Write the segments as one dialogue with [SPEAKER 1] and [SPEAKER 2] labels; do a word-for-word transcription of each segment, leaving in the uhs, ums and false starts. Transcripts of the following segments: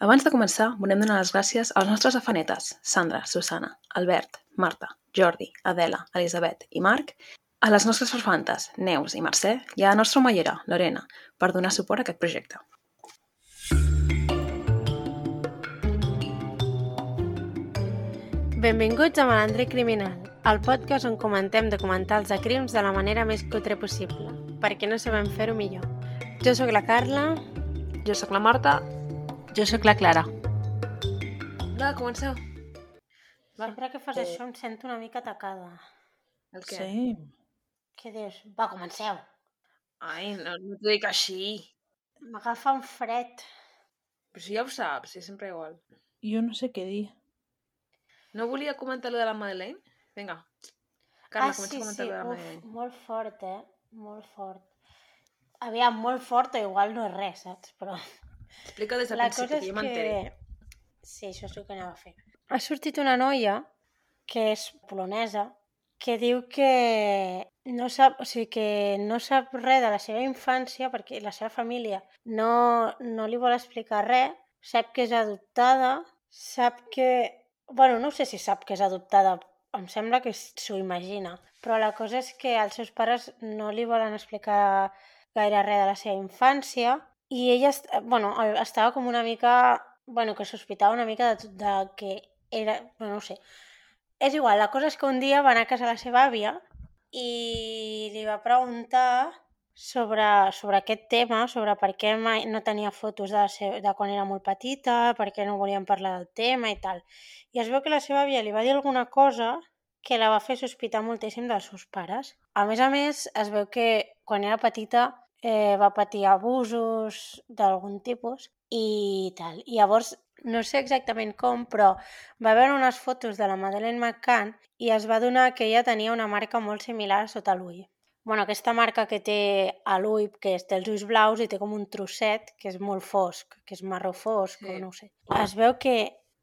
[SPEAKER 1] Abans de començar, volem donar les gràcies als nostres afanetes, Sandra, Susana, Albert, Marta, Jordi, Adela, Elisabet i Marc, a les nostres farfantes, Neus i Mercè, i a la nostra omellera, Lorena, per donar suport a aquest projecte.
[SPEAKER 2] Benvinguts a Malandre Criminal, el podcast on comentem documentals de crims de la manera més cutre possible, perquè no sabem fer-ho millor. Jo sóc la Carla.
[SPEAKER 1] Jo sóc la Marta.
[SPEAKER 3] Jo sóc la Clara.
[SPEAKER 1] Va, comenceu.
[SPEAKER 2] Sempre que fas això em sento una mica atacada.
[SPEAKER 1] El què?
[SPEAKER 3] Sí.
[SPEAKER 2] Què dius? Va, comenceu.
[SPEAKER 1] Ai, no, no t'ho dic així.
[SPEAKER 2] M'agafa un fred.
[SPEAKER 1] Però si ja ho saps, és sempre igual.
[SPEAKER 3] Jo no sé què dir.
[SPEAKER 1] No volia comentar lo de la Madeleine? Vinga. Carla,
[SPEAKER 2] ah,
[SPEAKER 1] comença
[SPEAKER 2] sí,
[SPEAKER 1] a comentar
[SPEAKER 2] sí.
[SPEAKER 1] lo de la
[SPEAKER 2] Uf,
[SPEAKER 1] Madeleine.
[SPEAKER 2] molt fort, eh? Molt fort. Aviam, molt fort o igual no és res, saps? Però...
[SPEAKER 1] Explica des del
[SPEAKER 2] La
[SPEAKER 1] principi,
[SPEAKER 2] cosa
[SPEAKER 1] que
[SPEAKER 2] és
[SPEAKER 1] jo m'enteri.
[SPEAKER 2] que... Sí, això és el que anava a fer. Ha sortit una noia, que és polonesa, que diu que no sap, o sigui, que no sap res de la seva infància perquè la seva família no, no li vol explicar res, sap que és adoptada, sap que... Bueno, no sé si sap que és adoptada, em sembla que s'ho imagina, però la cosa és que els seus pares no li volen explicar gaire res de la seva infància i ella est... bueno, estava com una mica... Bueno, que sospitava una mica de, de que era... Bueno, no sé. És igual, la cosa és que un dia va anar a casa la seva àvia i li va preguntar sobre, sobre aquest tema, sobre per què mai no tenia fotos de, la seva, de quan era molt petita, per què no volien parlar del tema i tal. I es veu que la seva àvia li va dir alguna cosa que la va fer sospitar moltíssim dels seus pares. A més a més, es veu que quan era petita eh, va patir abusos d'algun tipus i tal. I llavors, no sé exactament com, però va veure unes fotos de la Madeleine McCann i es va adonar que ella tenia una marca molt similar sota l'ull. Bueno, aquesta marca que té a l'ull, que té els ulls blaus i té com un trosset que és molt fosc, que és marró fosc, sí. O no ho sé. Es veu que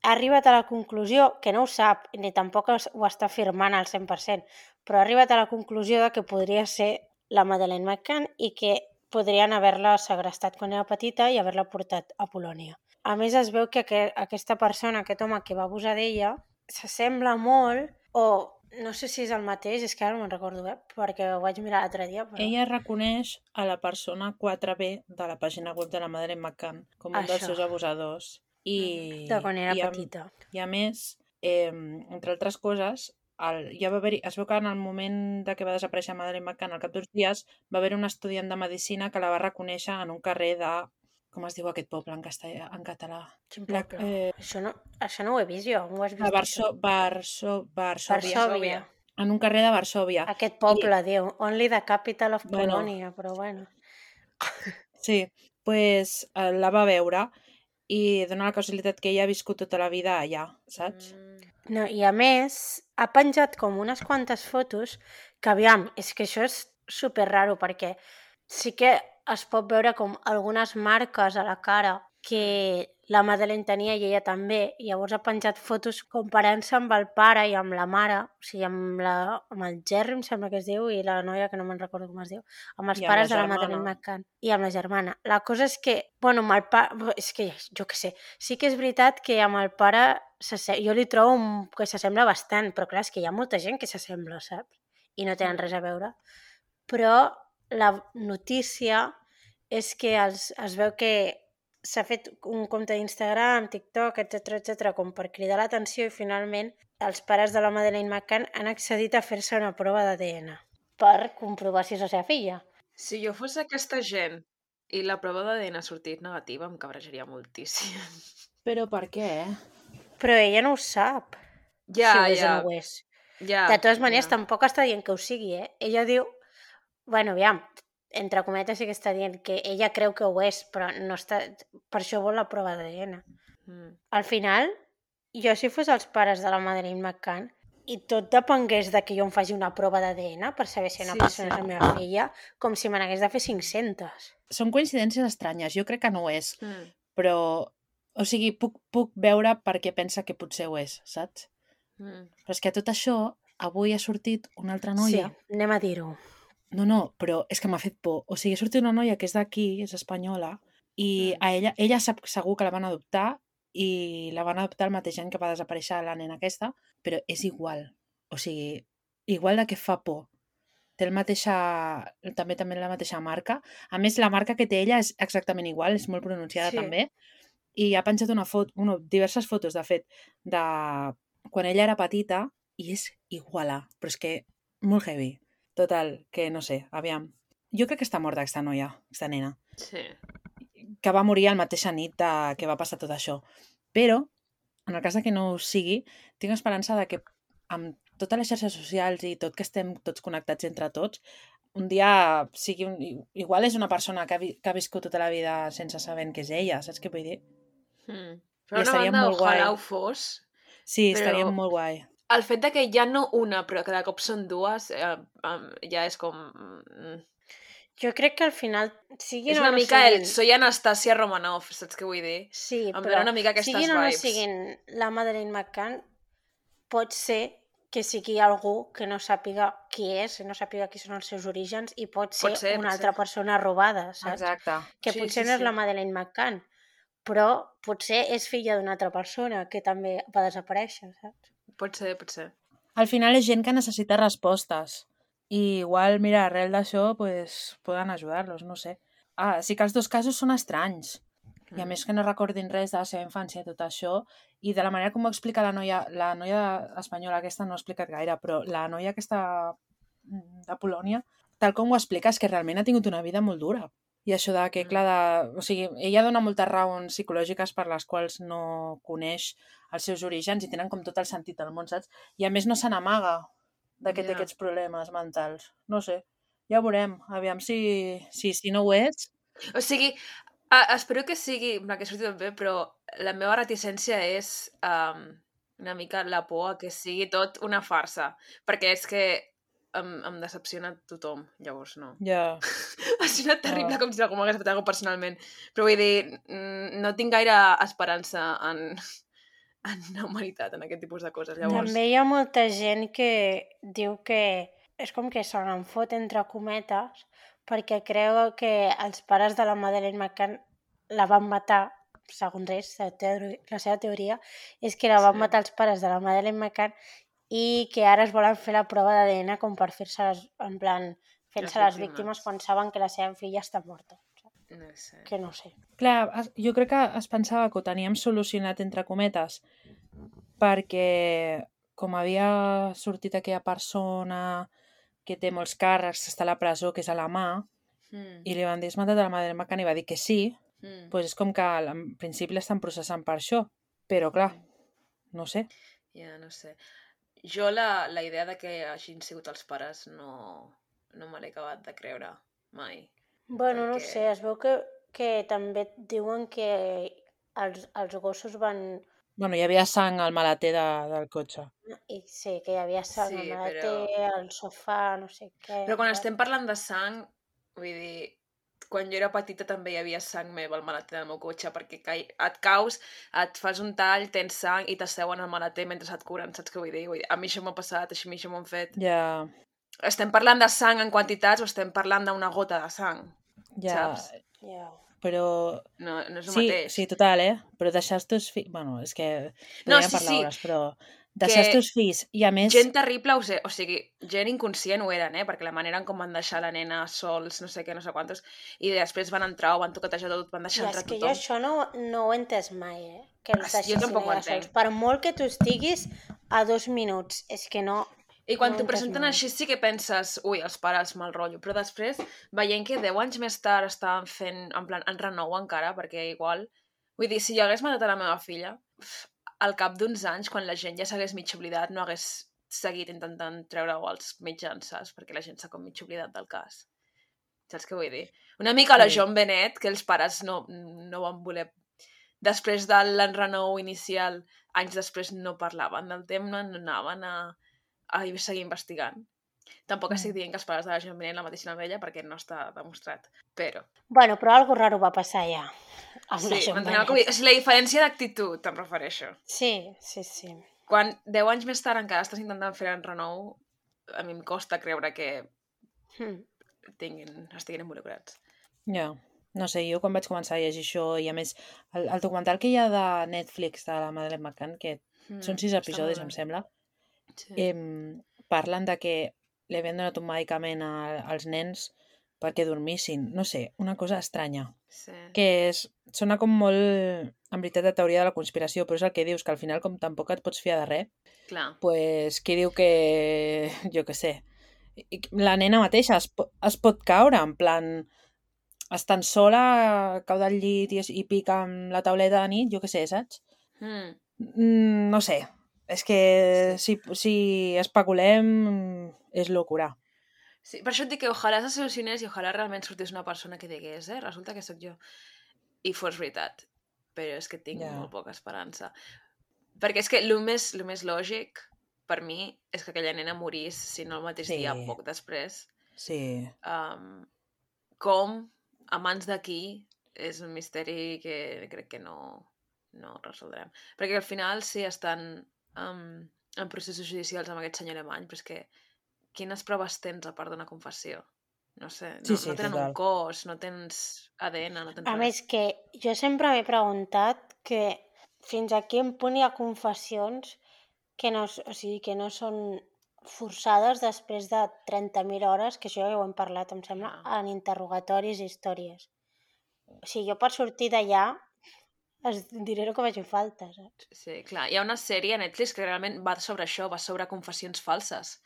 [SPEAKER 2] ha arribat a la conclusió, que no ho sap, ni tampoc ho està afirmant al cent per cent, però ha arribat a la conclusió de que podria ser la Madeleine McCann i que podrien haver-la segrestat quan era petita i haver-la portat a Polònia. A més, es veu que aquesta persona, aquest home que va abusar d'ella, s'assembla molt, o no sé si és el mateix, és que ara no me'n recordo, eh? Perquè ho vaig mirar l'altre dia. Però...
[SPEAKER 3] Ella reconeix a la persona quatre B de la pàgina web de la Madeleine McCann com un
[SPEAKER 2] Això.
[SPEAKER 3] dels seus abusadors. I,
[SPEAKER 2] de quan era
[SPEAKER 3] i a,
[SPEAKER 2] petita.
[SPEAKER 3] I a més, eh, entre altres coses, el, ja va haver es veu que en el moment de que va desaparèixer Madeleine McCann, al cap d'uns dies, va haver un estudiant de medicina que la va reconèixer en un carrer de... Com es diu aquest poble en, castellà, en català?
[SPEAKER 2] Quin poble? Eh... Això, no, això no ho he vist jo. Ho has vist
[SPEAKER 3] a Barso, Barso, Varsòvia.
[SPEAKER 2] Varsòvia.
[SPEAKER 3] En un carrer de Varsòvia.
[SPEAKER 2] Aquest poble, I... diu. Only the capital of
[SPEAKER 3] bueno,
[SPEAKER 2] Polònia, però bueno.
[SPEAKER 3] Sí, pues eh, la va veure i dona la casualitat que ella ha viscut tota la vida allà, saps?
[SPEAKER 2] Mm. No, i a més, ha penjat com unes quantes fotos que, aviam, és que això és super raro perquè sí que es pot veure com algunes marques a la cara que la Madeleine tenia i ella també, i llavors ha penjat fotos comparant-se amb el pare i amb la mare, o sigui, amb, la, amb el Jerry, em sembla que es diu, i la noia, que no me'n recordo com es diu, amb els
[SPEAKER 3] I amb
[SPEAKER 2] pares
[SPEAKER 3] la
[SPEAKER 2] de la Madeleine McCann i amb la germana. La cosa és que, bueno, amb el pare, és que jo què sé, sí que és veritat que amb el pare jo li trobo que s'assembla bastant, però clar, és que hi ha molta gent que s'assembla, saps? I no tenen res a veure. Però la notícia és que els, es veu que s'ha fet un compte d'Instagram, TikTok, etcètera, etcètera, com per cridar l'atenció i finalment els pares de la Madeleine McCann han accedit a fer-se una prova d'A D N per comprovar si és la seva filla.
[SPEAKER 1] Si jo fos aquesta gent i la prova d'A D N ha sortit negativa, em cabrejaria moltíssim.
[SPEAKER 3] Però per què?
[SPEAKER 2] Però ella no ho sap.
[SPEAKER 1] Ja,
[SPEAKER 2] si ho és
[SPEAKER 1] ja.
[SPEAKER 2] o no ho és.
[SPEAKER 1] Ja,
[SPEAKER 2] de totes maneres,
[SPEAKER 1] ja.
[SPEAKER 2] tampoc està dient que ho sigui, eh? Ella diu... Bueno, aviam, entre cometes sí que està dient que ella creu que ho és, però no està... Per això vol la prova d'A D N. Mm. Al final, jo si fos els pares de la Madeleine McCann i tot depengués de que jo em faci una prova d'A D N per saber si una sí, persona sí. és la meva filla, com si me n'hagués de fer cinc-centes.
[SPEAKER 3] Són coincidències estranyes, jo crec que no ho és,
[SPEAKER 1] mm.
[SPEAKER 3] però... O sigui, puc, puc veure per què pensa que potser ho és, saps? Mm. Però és que tot això, avui ha sortit una altra noia...
[SPEAKER 2] Sí, anem a dir-ho.
[SPEAKER 3] No, no, però és que m'ha fet por. O sigui, ha sortit una noia que és d'aquí, és espanyola, i mm. a ella, ella sap segur que la van adoptar i la van adoptar el mateix any que va desaparèixer la nena aquesta, però és igual. O sigui, igual de que fa por. Té el mateixa, també també la mateixa marca. A més, la marca que té ella és exactament igual, és molt pronunciada
[SPEAKER 2] Sí.
[SPEAKER 3] també. I ha penjat una foto, bueno, diverses fotos, de fet, de quan ella era petita, i és iguala, però és que molt heavy. Total, que no sé, aviam. Jo crec que està morta aquesta noia, aquesta nena,
[SPEAKER 1] Sí.
[SPEAKER 3] que va morir la mateixa nit de que va passar tot això. Però, en el cas de que no ho sigui, tinc esperança de que amb totes les xarxes socials i tot que estem tots connectats entre tots, un dia sigui un... igual és una persona que ha, vi... que ha viscut tota la vida sense saber què és ella, saps què vull dir?
[SPEAKER 1] Mm.
[SPEAKER 3] I
[SPEAKER 1] Per una
[SPEAKER 3] estaria
[SPEAKER 1] banda,
[SPEAKER 3] molt guai.
[SPEAKER 1] ojalà ho fos.
[SPEAKER 3] Sí,
[SPEAKER 1] però
[SPEAKER 3] estaria molt guai.
[SPEAKER 1] El fet de que ja no una, però que de cop són dues, eh, eh, ja és com... mm,
[SPEAKER 2] Jo crec que al final, siguin
[SPEAKER 1] És
[SPEAKER 2] o
[SPEAKER 1] una
[SPEAKER 2] no
[SPEAKER 1] mica
[SPEAKER 2] siguin...
[SPEAKER 1] el soy Anastasia Romanoff, saps què vull dir?
[SPEAKER 2] Sí,
[SPEAKER 1] Em
[SPEAKER 2] però
[SPEAKER 1] dona una mica aquestes
[SPEAKER 2] siguin o no
[SPEAKER 1] vibes.
[SPEAKER 2] siguin la Madeleine McCann, pot ser que sigui algú que no sàpiga qui és, no sàpiga qui són els seus orígens, i pot ser,
[SPEAKER 1] Pot ser,
[SPEAKER 2] una
[SPEAKER 1] pot
[SPEAKER 2] altra
[SPEAKER 1] ser.
[SPEAKER 2] persona robada, saps?
[SPEAKER 3] Exacte.
[SPEAKER 2] Que
[SPEAKER 1] Sí,
[SPEAKER 2] potser
[SPEAKER 1] sí,
[SPEAKER 2] no és
[SPEAKER 1] sí.
[SPEAKER 2] la Madeleine McCann, però potser és filla d'una altra persona que també va desaparèixer, saps?
[SPEAKER 1] Pot ser, pot ser.
[SPEAKER 3] Al final és gent que necessita respostes. I igual, mira, arrel d'això, pues, poden ajudar-los, no sé. Ah, sí que els dos casos són estranys. I a
[SPEAKER 1] Mm.
[SPEAKER 3] més que no recordin res de la seva infància i tot això, i de la manera com ho explica la noia, la noia espanyola aquesta no ho ha explicat gaire, però la noia aquesta de Polònia, tal com ho explica, és que realment ha tingut una vida molt dura. I això de que,
[SPEAKER 1] Mm.
[SPEAKER 3] clar, de... o sigui, ella dona moltes raons psicològiques per les quals no coneix els seus orígens i tenen com tot el sentit del món, saps? I a més no se n'amaga de que té
[SPEAKER 1] Ja.
[SPEAKER 3] aquests problemes mentals. No sé, ja ho veurem. Aviam si, si, si no ho és.
[SPEAKER 1] O sigui, uh, espero que sigui, que surti tot bé, però la meva reticència és um, una mica la por a que sigui tot una farsa, perquè és que em, em decepciona tothom, llavors no.
[SPEAKER 3] Ja.
[SPEAKER 1] Ha sonat terrible,
[SPEAKER 3] Ah.
[SPEAKER 1] com si algú m'hagués fet alguna cosa personalment, però vull dir, mm, no tinc gaire esperança en, en la humanitat, en aquest tipus de coses, llavors...
[SPEAKER 2] També hi ha molta gent que diu que és com que se n'en fot entre cometes perquè creu que els pares de la Madeleine McCann la van matar, segons ells, la, teori- la seva teoria és que la van
[SPEAKER 1] Sí.
[SPEAKER 2] matar els pares de la Madeleine McCann i que ara es volen fer la prova d'A D N com per fer-se les, en plan, fent-se les,
[SPEAKER 1] Les
[SPEAKER 2] les víctimes
[SPEAKER 1] víctimes.
[SPEAKER 2] quan saben que la seva filla està morta.
[SPEAKER 1] No sé.
[SPEAKER 2] Que no sé.
[SPEAKER 3] Clar, es- jo crec que es pensava que ho teníem solucionat entre cometes perquè com havia sortit aquella persona que té molts càrrecs, està a la presó, que és a la mà,
[SPEAKER 1] Mm.
[SPEAKER 3] i li van dir, has matat a la Madeleine McCann, i va dir que sí,
[SPEAKER 1] Mm.
[SPEAKER 3] doncs és com que en principi l'estan processant per això. Però clar, no sé.
[SPEAKER 1] Ja, no sé. Jo la, la idea de que hagin sigut els pares no, no me l'he acabat de creure mai.
[SPEAKER 2] Bueno, no
[SPEAKER 1] Perquè-
[SPEAKER 2] sé, es veu que, que també diuen que els, els gossos van...
[SPEAKER 3] Bueno, hi havia sang al maleter de, del cotxe.
[SPEAKER 2] I sí, que hi havia sang
[SPEAKER 1] Sí,
[SPEAKER 2] sí, al maleter, al sofà, no sé què...
[SPEAKER 1] Però quan
[SPEAKER 2] tal.
[SPEAKER 1] estem parlant de sang, vull dir, quan jo era petita també hi havia sang meva al maleter del meu cotxe, perquè cai, et caus, et fas un tall, tens sang i t'asseuen al maleter mentre et curen, saps què vull dir? Vull dir, a mi això m'ha passat, a mi això m'ho han fet.
[SPEAKER 3] Ja,
[SPEAKER 1] Estem parlant de sang en quantitats o estem parlant d'una gota de sang,
[SPEAKER 3] ja,
[SPEAKER 1] saps?
[SPEAKER 2] Ja.
[SPEAKER 3] però...
[SPEAKER 1] No, no és el
[SPEAKER 3] Sí,
[SPEAKER 1] mateix.
[SPEAKER 3] sí, total, eh? Però deixar els teus fills... Bueno, és que
[SPEAKER 1] No,
[SPEAKER 3] podríem
[SPEAKER 1] sí,
[SPEAKER 3] parlar
[SPEAKER 1] sí.
[SPEAKER 3] hores, però deixar els
[SPEAKER 1] Que
[SPEAKER 3] teus fills i a més...
[SPEAKER 1] Gent terrible, o, sé, o sigui, gent inconscient ho eren, eh? Perquè la manera en com van deixar la nena sols, no sé què, no sé quantos, i després van entrar o van toquetejar tot, van
[SPEAKER 2] I
[SPEAKER 1] deixar
[SPEAKER 2] és
[SPEAKER 1] entrar
[SPEAKER 2] que jo
[SPEAKER 1] tothom.
[SPEAKER 2] això no, no ho he entès mai, eh? Que els
[SPEAKER 1] Jo
[SPEAKER 2] deixessin
[SPEAKER 1] tampoc ho
[SPEAKER 2] allà
[SPEAKER 1] entenc.
[SPEAKER 2] sols. Per molt que tu estiguis a dos minuts, és que no...
[SPEAKER 1] I quan
[SPEAKER 2] no ho
[SPEAKER 1] t'ho
[SPEAKER 2] he entès
[SPEAKER 1] presenten
[SPEAKER 2] mai.
[SPEAKER 1] així sí que penses, ui, els pares mal rotllo, però després, veient que deu anys més tard estaven fent, en plan, en renou encara, perquè igual... Vull dir, si jo hagués matat a la meva filla, al cap d'uns anys, quan la gent ja s'hagués mig oblidat, no hagués seguit intentant treure-ho als mitjans, saps? Perquè la gent s'ha com mig oblidat del cas. Saps què vull dir? Una mica a la
[SPEAKER 3] Sí.
[SPEAKER 1] John Bennett, que els pares no, no van voler... Després de l'enrenou inicial, anys després no parlaven del tema, no anaven a, a seguir investigant. Tampoc estic dient que els pares de la John Bennett la mateixin amb ella, perquè no està demostrat. Però...
[SPEAKER 2] Bueno, però algo raro va passar ja. Amb la
[SPEAKER 1] Sí,
[SPEAKER 2] John
[SPEAKER 1] m'enteneu
[SPEAKER 2] Bennett.
[SPEAKER 1] com... O sigui, la diferència d'actitud, em refereixo.
[SPEAKER 2] Sí, sí, sí.
[SPEAKER 1] Quan deu anys més tard encara estàs intentant fer en renou, a mi em costa creure que
[SPEAKER 2] Hmm.
[SPEAKER 1] tinguin, estiguin involucrats.
[SPEAKER 3] Ja. no sé, jo quan vaig començar a llegir això, i a més, el, el documental que hi ha de Netflix de la Madeleine McCann, que
[SPEAKER 1] Mm,
[SPEAKER 3] són sis
[SPEAKER 1] està
[SPEAKER 3] episodis,
[SPEAKER 1] molt
[SPEAKER 3] em
[SPEAKER 1] bé.
[SPEAKER 3] sembla,
[SPEAKER 1] Sí.
[SPEAKER 3] em, parlen de que li havien donat un medicament a, als nens perquè dormissin. No sé, una cosa estranya.
[SPEAKER 1] Sí.
[SPEAKER 3] Que és, sona com molt, en veritat, de teoria de la conspiració, però és el que dius, que al final, com tampoc et pots fiar de res,
[SPEAKER 1] Clar.
[SPEAKER 3] pues, qui diu que, jo què sé, i- la nena mateixa es, po- es pot caure, en plan, estant sola, cau del llit i, es- i pica amb la tauleta de nit, jo què sé, saps?
[SPEAKER 1] Mm.
[SPEAKER 3] Mm, no sé, és que si, si especulem és locura.
[SPEAKER 1] Sí, per això et dic que ojalà se solucionés i ojalà realment sortís una persona que digués, eh, resulta que sóc jo. I fos veritat. Però és que tinc
[SPEAKER 3] Ja.
[SPEAKER 1] molt poca esperança. Perquè és que el més, el més lògic, per mi, és que aquella nena morís, si no el mateix
[SPEAKER 3] Sí.
[SPEAKER 1] dia, poc després.
[SPEAKER 3] Sí,
[SPEAKER 1] Um, com, a mans d'aquí, és un misteri que crec que no, no resoldrem. Perquè al final sí estan um, en processos judicials amb aquest senyor alemany, però és que quines proves tens a part d'una confessió? No sé, no,
[SPEAKER 3] sí, sí,
[SPEAKER 1] no tenen
[SPEAKER 3] total.
[SPEAKER 1] un cos, no tens A D N, no tens
[SPEAKER 2] A
[SPEAKER 1] res.
[SPEAKER 2] més que jo sempre m'he preguntat que fins a quin punt hi ha confessions que no, s- o sigui, que no són forçades després de trenta mil hores, que això ja ho hem parlat, em sembla,
[SPEAKER 1] Ja.
[SPEAKER 2] en interrogatoris i històries. O sigui, jo per sortir d'allà es diré el que vagi falta, saps?
[SPEAKER 1] Sí, clar. Hi ha una sèrie a Netflix que realment va sobre això, va sobre confessions falses.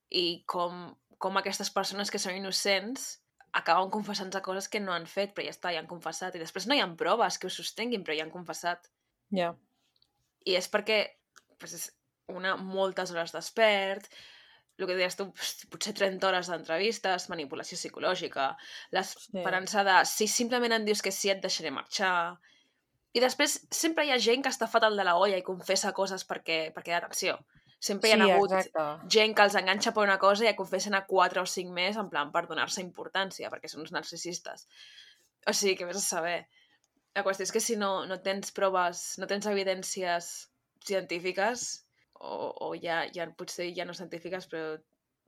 [SPEAKER 1] I com, com aquestes persones que són innocents acaben confessant-se coses que no han fet, però ja està, ja han confessat. I després no hi ha proves que ho sostenguin, però ja han confessat.
[SPEAKER 3] Ja.
[SPEAKER 1] I és perquè pues, és una moltes hores despert, el que deies tu, potser trenta hores d'entrevistes, manipulació psicològica, l'esperança de si simplement em dius que sí et deixaré marxar. I després sempre hi ha gent que està fatal de la olla i confessa coses perquè, perquè atenció. Sempre hi ha
[SPEAKER 3] Sí,
[SPEAKER 1] hagut
[SPEAKER 3] exacte.
[SPEAKER 1] gent que els enganxa per una cosa i ja confessen a quatre o cinc més en plan per donar-se importància, perquè són uns narcisistes. O sigui, que vés a saber. La qüestió és que si no, no tens proves, no tens evidències científiques, o, o ja, ja potser ja no científiques, però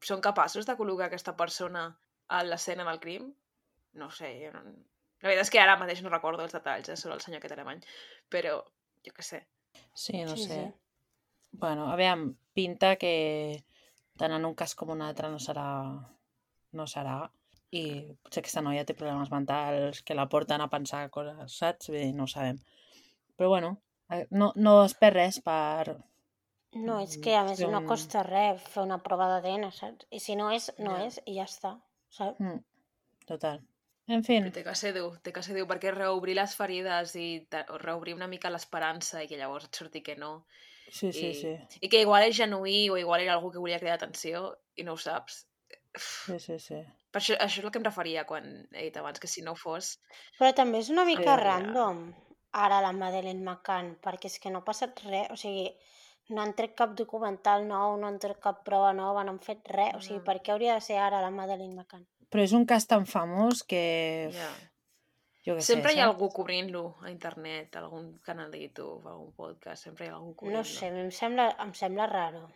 [SPEAKER 1] són capaços de col·locar aquesta persona a l'escena del crim? No sé, jo no... La veritat és que ara mateix no recordo els detalls eh, sobre el senyor aquest alemany, però jo què sé.
[SPEAKER 3] Sí, no
[SPEAKER 2] Sí,
[SPEAKER 3] sé.
[SPEAKER 2] sí.
[SPEAKER 3] Bueno, aviam, pinta que tant en un cas com un altre no serà no serà i potser aquesta noia té problemes mentals que la porten a pensar coses, saps? Bé, no ho sabem. Però bueno, eh, no, no es perd res per...
[SPEAKER 2] No, és que a més
[SPEAKER 3] fer
[SPEAKER 2] no
[SPEAKER 3] un-
[SPEAKER 2] costa res fer una prova d'A D N, saps? I si no és, no
[SPEAKER 1] Ja.
[SPEAKER 2] és, i ja està, saps?
[SPEAKER 3] Mm, total. En fin,
[SPEAKER 1] Però té que ser dur, té que ser dur, perquè reobrir les ferides i te- o reobrir una mica l'esperança i que llavors et surti que no,
[SPEAKER 3] sí, sí,
[SPEAKER 1] i,
[SPEAKER 3] sí.
[SPEAKER 1] i que igual és genuí o igual era algú que volia cridar atenció i no ho saps.
[SPEAKER 3] Sí, sí, sí.
[SPEAKER 1] Per això, això és el que em referia quan he dit abans, que si no ho fos...
[SPEAKER 2] Però també és una mica
[SPEAKER 1] Acabaria-
[SPEAKER 2] random ara la Madeleine McCann, perquè és que no ha passat res, o sigui, no han tret cap documental nou, no han tret cap prova nova, no han fet res, o sigui,
[SPEAKER 1] No.
[SPEAKER 2] per què hauria de ser ara la Madeleine McCann?
[SPEAKER 3] Però és un cas tan famós que...
[SPEAKER 1] Ja.
[SPEAKER 3] Jo què sé,
[SPEAKER 1] Sempre hi ha
[SPEAKER 3] saps?
[SPEAKER 1] algú cobrint-lo a internet, algun canal de YouTube, algun podcast, sempre hi ha algú cobrint-lo.
[SPEAKER 2] No sé, a mi em sembla, em sembla raro.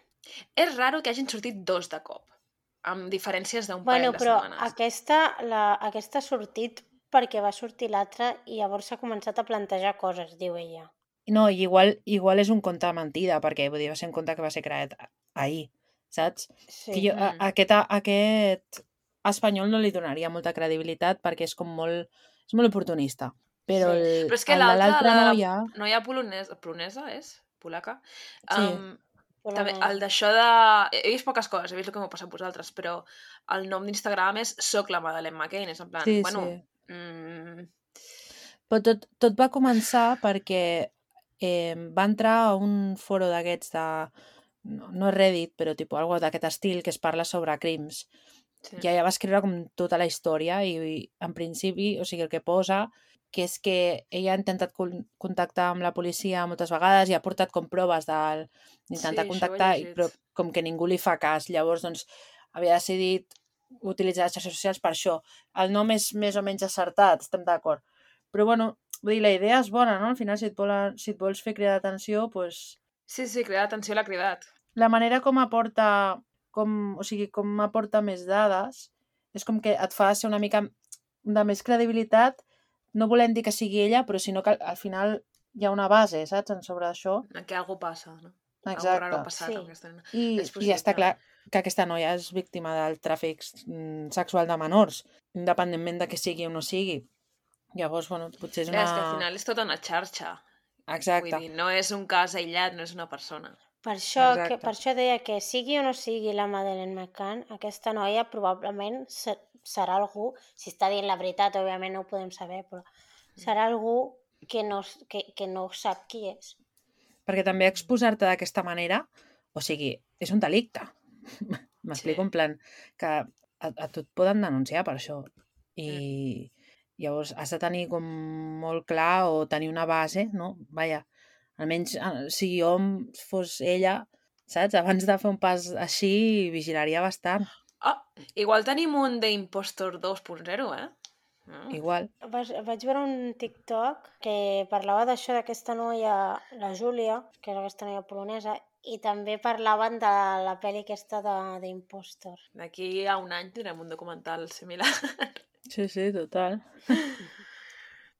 [SPEAKER 1] És raro que hagin sortit dos de cop, amb diferències d'un
[SPEAKER 2] Bueno,
[SPEAKER 1] parell de
[SPEAKER 2] però
[SPEAKER 1] setmanes.
[SPEAKER 2] aquesta, la, aquesta ha sortit perquè va sortir l'altra i llavors s'ha començat a plantejar coses, diu ella.
[SPEAKER 3] No, i igual, igual és un conte mentida, perquè vull dir, va ser un conte que va ser creat ahir, saps?
[SPEAKER 2] Sí.
[SPEAKER 3] Que jo, a,
[SPEAKER 1] Mm.
[SPEAKER 3] aquest, a, aquest espanyol no li donaria molta credibilitat perquè és com molt, és molt oportunista. Però
[SPEAKER 2] Sí.
[SPEAKER 3] el-
[SPEAKER 1] Però és que
[SPEAKER 3] el de
[SPEAKER 1] l'altra,
[SPEAKER 3] l'altra
[SPEAKER 1] la
[SPEAKER 3] noia...
[SPEAKER 1] noia polonesa, polonesa és? Polaca?
[SPEAKER 3] Sí,
[SPEAKER 1] Um, també,
[SPEAKER 2] Polonesa.
[SPEAKER 1] el d'això de... He vist poques coses, he vist el que m'ho passat vosaltres, però el nom d'Instagram és Soc la Madeleine McCann, és en plan,
[SPEAKER 3] sí,
[SPEAKER 1] bueno...
[SPEAKER 3] sí.
[SPEAKER 1] Mm,
[SPEAKER 3] Però tot, tot va començar perquè eh, va entrar a un foro d'aquests de... No, no Reddit, però tipus, algo d'aquest estil que es parla sobre crims.
[SPEAKER 1] sí.
[SPEAKER 3] I ella va escriure com tota la història i, i en principi, o sigui, el que posa que és que ella ha intentat con contactar amb la policia moltes vegades i ha portat com proves d'intentar
[SPEAKER 1] Sí, això ho he
[SPEAKER 3] contactar, i,
[SPEAKER 1] llegit.
[SPEAKER 3] però com que ningú li fa cas. Llavors, doncs, havia decidit utilitzar les xarxes socials per això. El nom és més o menys acertat, estem d'acord. Però, bueno, vull dir, la idea és bona, no? Al final, si et, volen, si et vols fer cridar d'atenció, doncs...
[SPEAKER 1] Sí, sí, cridar atenció l'ha cridat.
[SPEAKER 3] La manera com aporta, com, o sigui, com aporta més dades és com que et fa ser una mica de més credibilitat no volem dir que sigui ella, però sinó que al final hi ha una base, saps, en sobre això.
[SPEAKER 1] Que algú passa, no?
[SPEAKER 3] Exacte.
[SPEAKER 1] Algo raro ha passat
[SPEAKER 2] Sí.
[SPEAKER 1] amb aquesta nena.
[SPEAKER 3] I,
[SPEAKER 1] És
[SPEAKER 3] I està
[SPEAKER 1] possible.
[SPEAKER 3] clar que aquesta noia és víctima del tràfic mm, sexual de menors, independentment de que sigui o no sigui. Llavors, bueno, potser és
[SPEAKER 1] Clar,
[SPEAKER 3] una...
[SPEAKER 1] és que al final és tota una xarxa.
[SPEAKER 3] Exacte.
[SPEAKER 1] Vull dir, no és un cas aïllat, no és una persona.
[SPEAKER 2] Per això, que,
[SPEAKER 3] Exacte.
[SPEAKER 2] per això deia que sigui o no sigui la Madeleine McCann, aquesta noia probablement se- serà algú, si està dient la veritat, òbviament no ho podem saber, però serà algú que no, s- que, que no sap qui és.
[SPEAKER 3] Perquè també exposar-te d'aquesta manera, o sigui, és un delicte. M'explico
[SPEAKER 1] Sí.
[SPEAKER 3] en plan que a, a tu et poden denunciar per això. I llavors has de tenir com molt clar o tenir una base, no? Vaja, almenys eh, si jo em- fos ella, saps? Abans de fer un pas així, vigilaria bastant.
[SPEAKER 1] Ah, igual tenim un d'Impostor dos punt zero, eh? Mm.
[SPEAKER 3] Igual.
[SPEAKER 2] Vaig, vaig veure un TikTok que parlava d'això d'aquesta noia, la Júlia, que és aquesta noia polonesa, i també parlaven de la pel·li aquesta de- d'Impostor.
[SPEAKER 1] D'aquí a un any tindrem un documental similar.
[SPEAKER 3] Sí, sí, total.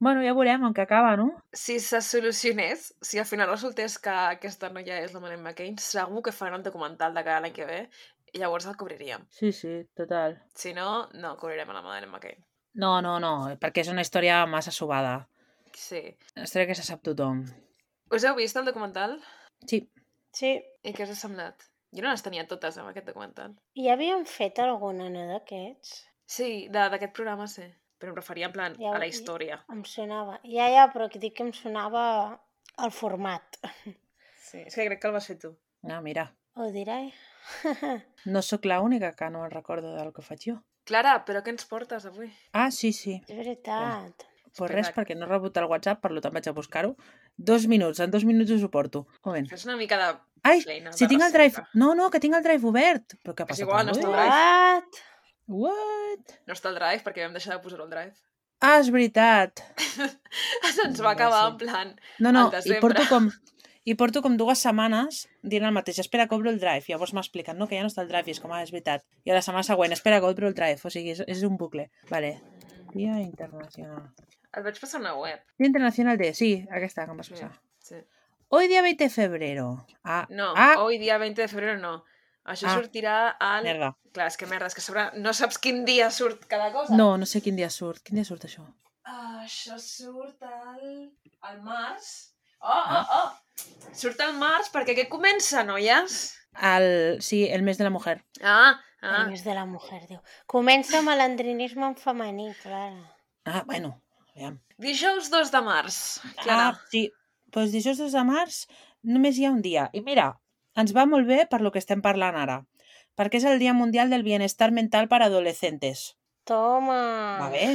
[SPEAKER 3] Bueno, ja veurem en què acaba, no?
[SPEAKER 1] Si se solucionés, si al final resultés que aquesta noia és la Madeleine McCann, segur que faran un documental de cara a l'any que ve i llavors el cobriríem.
[SPEAKER 3] Sí, sí, total.
[SPEAKER 1] Si no, no cobrirem a la Madeleine McCann.
[SPEAKER 3] No, no, no, perquè és una història massa subada.
[SPEAKER 1] Sí.
[SPEAKER 3] Una història que se sap tothom.
[SPEAKER 1] Us heu vist el documental?
[SPEAKER 3] Sí.
[SPEAKER 2] Sí,
[SPEAKER 1] I què us ha semblat? Jo no les tenia totes amb aquest documental.
[SPEAKER 2] i havien fet alguna, no, d'aquests?
[SPEAKER 1] Sí, de- d'aquest programa sí. Però em referia en plan
[SPEAKER 2] Ja
[SPEAKER 1] a
[SPEAKER 2] ho-
[SPEAKER 1] la història.
[SPEAKER 2] Em sonava. Ja, ja, però que dic que em sonava el format.
[SPEAKER 1] Sí, és que crec que el vas fer tu.
[SPEAKER 3] Ah, mira.
[SPEAKER 2] Ho diré.
[SPEAKER 3] No sóc l'única que no me'n recordo del que faig jo.
[SPEAKER 1] Clara, però què ens portes avui?
[SPEAKER 3] Ah, sí, sí.
[SPEAKER 2] És veritat.
[SPEAKER 3] Pues
[SPEAKER 1] Espera.
[SPEAKER 3] res, perquè no he rebut el WhatsApp, per tant vaig a buscar-ho. Dos minuts, en dos minuts ho suporto. Un moment.
[SPEAKER 1] Fes una mica de
[SPEAKER 3] Ai,
[SPEAKER 1] feina.
[SPEAKER 3] si
[SPEAKER 1] de
[SPEAKER 3] tinc el drive...
[SPEAKER 1] recerca.
[SPEAKER 3] No, no, que tinc el drive obert. Però què ha
[SPEAKER 1] És
[SPEAKER 3] passat
[SPEAKER 1] igual, no
[SPEAKER 3] avui?
[SPEAKER 1] està al drive.
[SPEAKER 2] What?
[SPEAKER 3] What?
[SPEAKER 1] No està al drive perquè vam deixar de posar-ho al drive.
[SPEAKER 3] Ah, és veritat.
[SPEAKER 1] Se'ns va acabar en plan
[SPEAKER 3] No, no,
[SPEAKER 1] al
[SPEAKER 3] i
[SPEAKER 1] desembre.
[SPEAKER 3] porto com... I porto com dues setmanes dient el mateix. Espera, que obro el drive. I llavors m'expliquen, no, que ja no està el drive. I és com, ah, és veritat. I a la setmana següent, espera, que obro el drive. O sigui, és, és un bucle. Vale. Dia internacional.
[SPEAKER 1] Et vaig passar una web.
[SPEAKER 3] Dia internacional de... Sí, aquesta que em vas passar.
[SPEAKER 1] Sí.
[SPEAKER 3] Hoy día veinte de febrero. Ah,
[SPEAKER 1] No,
[SPEAKER 3] ah,
[SPEAKER 1] hoy dia veinte de febrero no. Això
[SPEAKER 3] Ah.
[SPEAKER 1] sortirà al...
[SPEAKER 3] merda.
[SPEAKER 1] Clar, és que merda, és que sobre... no saps quin dia surt cada cosa.
[SPEAKER 3] No, no sé quin dia surt. Quin dia surt això?
[SPEAKER 1] Ah, això surt al... al març. Oh, oh, oh! Surt al març perquè què comença, noies?
[SPEAKER 3] El... Sí, el mes de la mujer.
[SPEAKER 1] Ah,
[SPEAKER 2] El
[SPEAKER 1] ah.
[SPEAKER 2] mes de la mujer, diu. Comença amb l'andrinisme en femení, Clara.
[SPEAKER 3] Ah, bueno, aviam.
[SPEAKER 1] Dijous dos de març. Clara.
[SPEAKER 3] Ah, sí. Doncs dijous dos de març només hi ha un dia. I mira, ens va molt bé per lo que estem parlant ara. Perquè és el Dia Mundial del Bienestar Mental per Adolescentes.
[SPEAKER 2] Toma!
[SPEAKER 3] Va bé?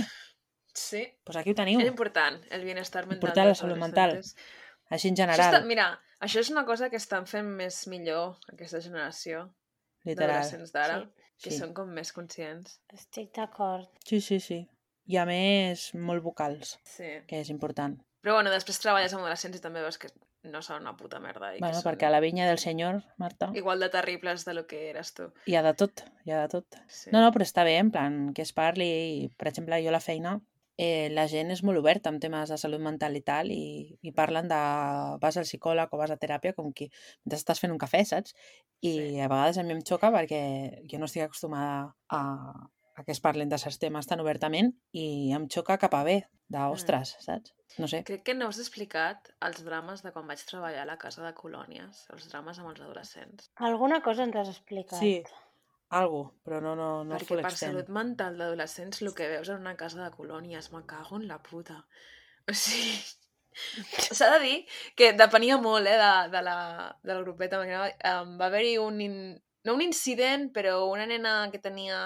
[SPEAKER 1] Sí.
[SPEAKER 3] Doncs aquí ho teniu.
[SPEAKER 1] És important, el bienestar mental.
[SPEAKER 3] Important la
[SPEAKER 1] dels
[SPEAKER 3] salut mental.
[SPEAKER 1] adolescentes.
[SPEAKER 3] Així en
[SPEAKER 1] Això
[SPEAKER 3] general,
[SPEAKER 1] està, mira, això és una cosa que estan fent més millor aquesta generació
[SPEAKER 3] literal.
[SPEAKER 1] d'adolescents d'ara,
[SPEAKER 2] Sí.
[SPEAKER 1] que
[SPEAKER 3] Sí.
[SPEAKER 1] són com més conscients.
[SPEAKER 2] Estic d'acord.
[SPEAKER 3] Sí, sí, sí. I a més, molt vocals,
[SPEAKER 1] Sí.
[SPEAKER 3] que és important.
[SPEAKER 1] Però bueno, després treballes amb adolescents i també veus que no són una puta merda. I
[SPEAKER 3] Bueno,
[SPEAKER 1] que són
[SPEAKER 3] perquè a la vinya del senyor, Marta,
[SPEAKER 1] igual de terribles de lo que eres tu.
[SPEAKER 3] hi ha de tot, hi ha de tot.
[SPEAKER 1] Sí.
[SPEAKER 3] No, no, però està bé, en plan, que es parli. I, per exemple, jo a la feina, eh, la gent és molt oberta amb temes de salut mental i tal, i, i parlen de vas al psicòleg o vas a teràpia com que mentre estàs fent un cafè, saps? I
[SPEAKER 1] Sí.
[SPEAKER 3] a vegades a mi em xoca perquè jo no estic acostumada a, a que es parlen de certs temes tan obertament i em xoca cap a bé, d'ostres, saps? No sé.
[SPEAKER 1] Crec que no us he explicat els drames de quan vaig treballar a la casa de colònies, els drames amb els adolescents.
[SPEAKER 2] Alguna cosa ens has explicat.
[SPEAKER 3] Sí, algo, però no, no, no
[SPEAKER 1] Perquè
[SPEAKER 3] full
[SPEAKER 1] per
[SPEAKER 3] extent.
[SPEAKER 1] salut mental d'adolescents el que veus en una casa de colònies, me cago en la puta. O sigui, s'ha de dir que depenia molt eh, de, de la, del grupet amb el que anava. Um, va haver-hi un... In... no un incident, però una nena que tenia...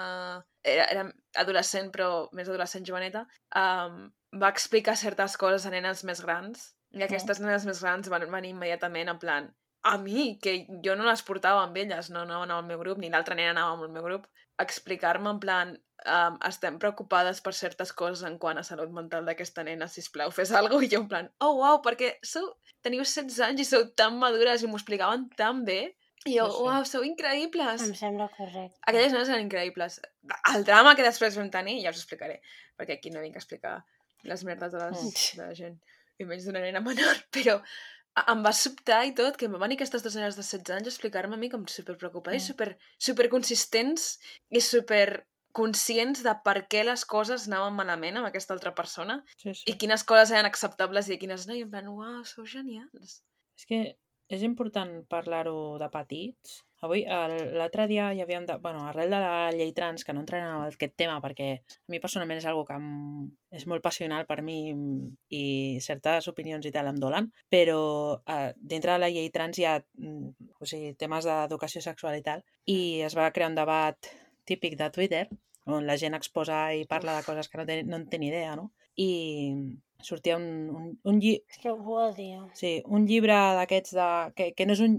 [SPEAKER 1] Era, era adolescent, però més adolescent joveneta, um, va explicar certes coses a nenes més grans, i aquestes nenes més grans van venir immediatament en plan a mi, que jo no les portava amb elles, no anaven al meu grup, ni l'altra nena anava amb el meu grup, a explicar-me en plan um, estem preocupades per certes coses en quant a salut mental d'aquesta nena, sisplau, fes alguna cosa, i jo en plan, oh, uau, perquè sou, teniu setze anys i sou tan madures i m'ho explicaven tan bé, i jo,
[SPEAKER 3] Sí, sí.
[SPEAKER 1] uau, sou increïbles.
[SPEAKER 2] Em sembla correcte.
[SPEAKER 1] Aquelles nenes eren increïbles. El drama que després vam tenir, ja us explicaré, perquè aquí no vinc a explicar les merdes de, les,
[SPEAKER 2] Mm.
[SPEAKER 1] de la gent, i menys d'una nena menor, però a- em va sobtar i tot que em van venir aquestes dues nenes de setze anys a explicar-me a mi com superpreocupada i
[SPEAKER 3] Mm.
[SPEAKER 1] super, superconsistents i superconscients de per què les coses anaven malament amb aquesta altra persona
[SPEAKER 3] Sí,
[SPEAKER 1] i
[SPEAKER 3] sí.
[SPEAKER 1] quines coses eren acceptables i quines no, i en plan, uau, sou genials.
[SPEAKER 3] És que és important parlar-ho de petits. Avui, el- l'altre dia hi havia... De... Bueno, arrel de la llei trans, que no entraré en aquest tema perquè a mi personalment és algo que em... és molt passional per mi i certes opinions i tal em dolen, però eh, dintre de la llei trans hi ha mm, o sigui, temes d'educació sexual i tal, i es va crear un debat típic de Twitter on la gent exposa i parla
[SPEAKER 1] Uf.
[SPEAKER 3] de coses que no té, no en té ni idea, no? I sortia un, un, un, lli...
[SPEAKER 2] És que ho odio.
[SPEAKER 3] Sí, un llibre d'aquests de... Que, que no és un...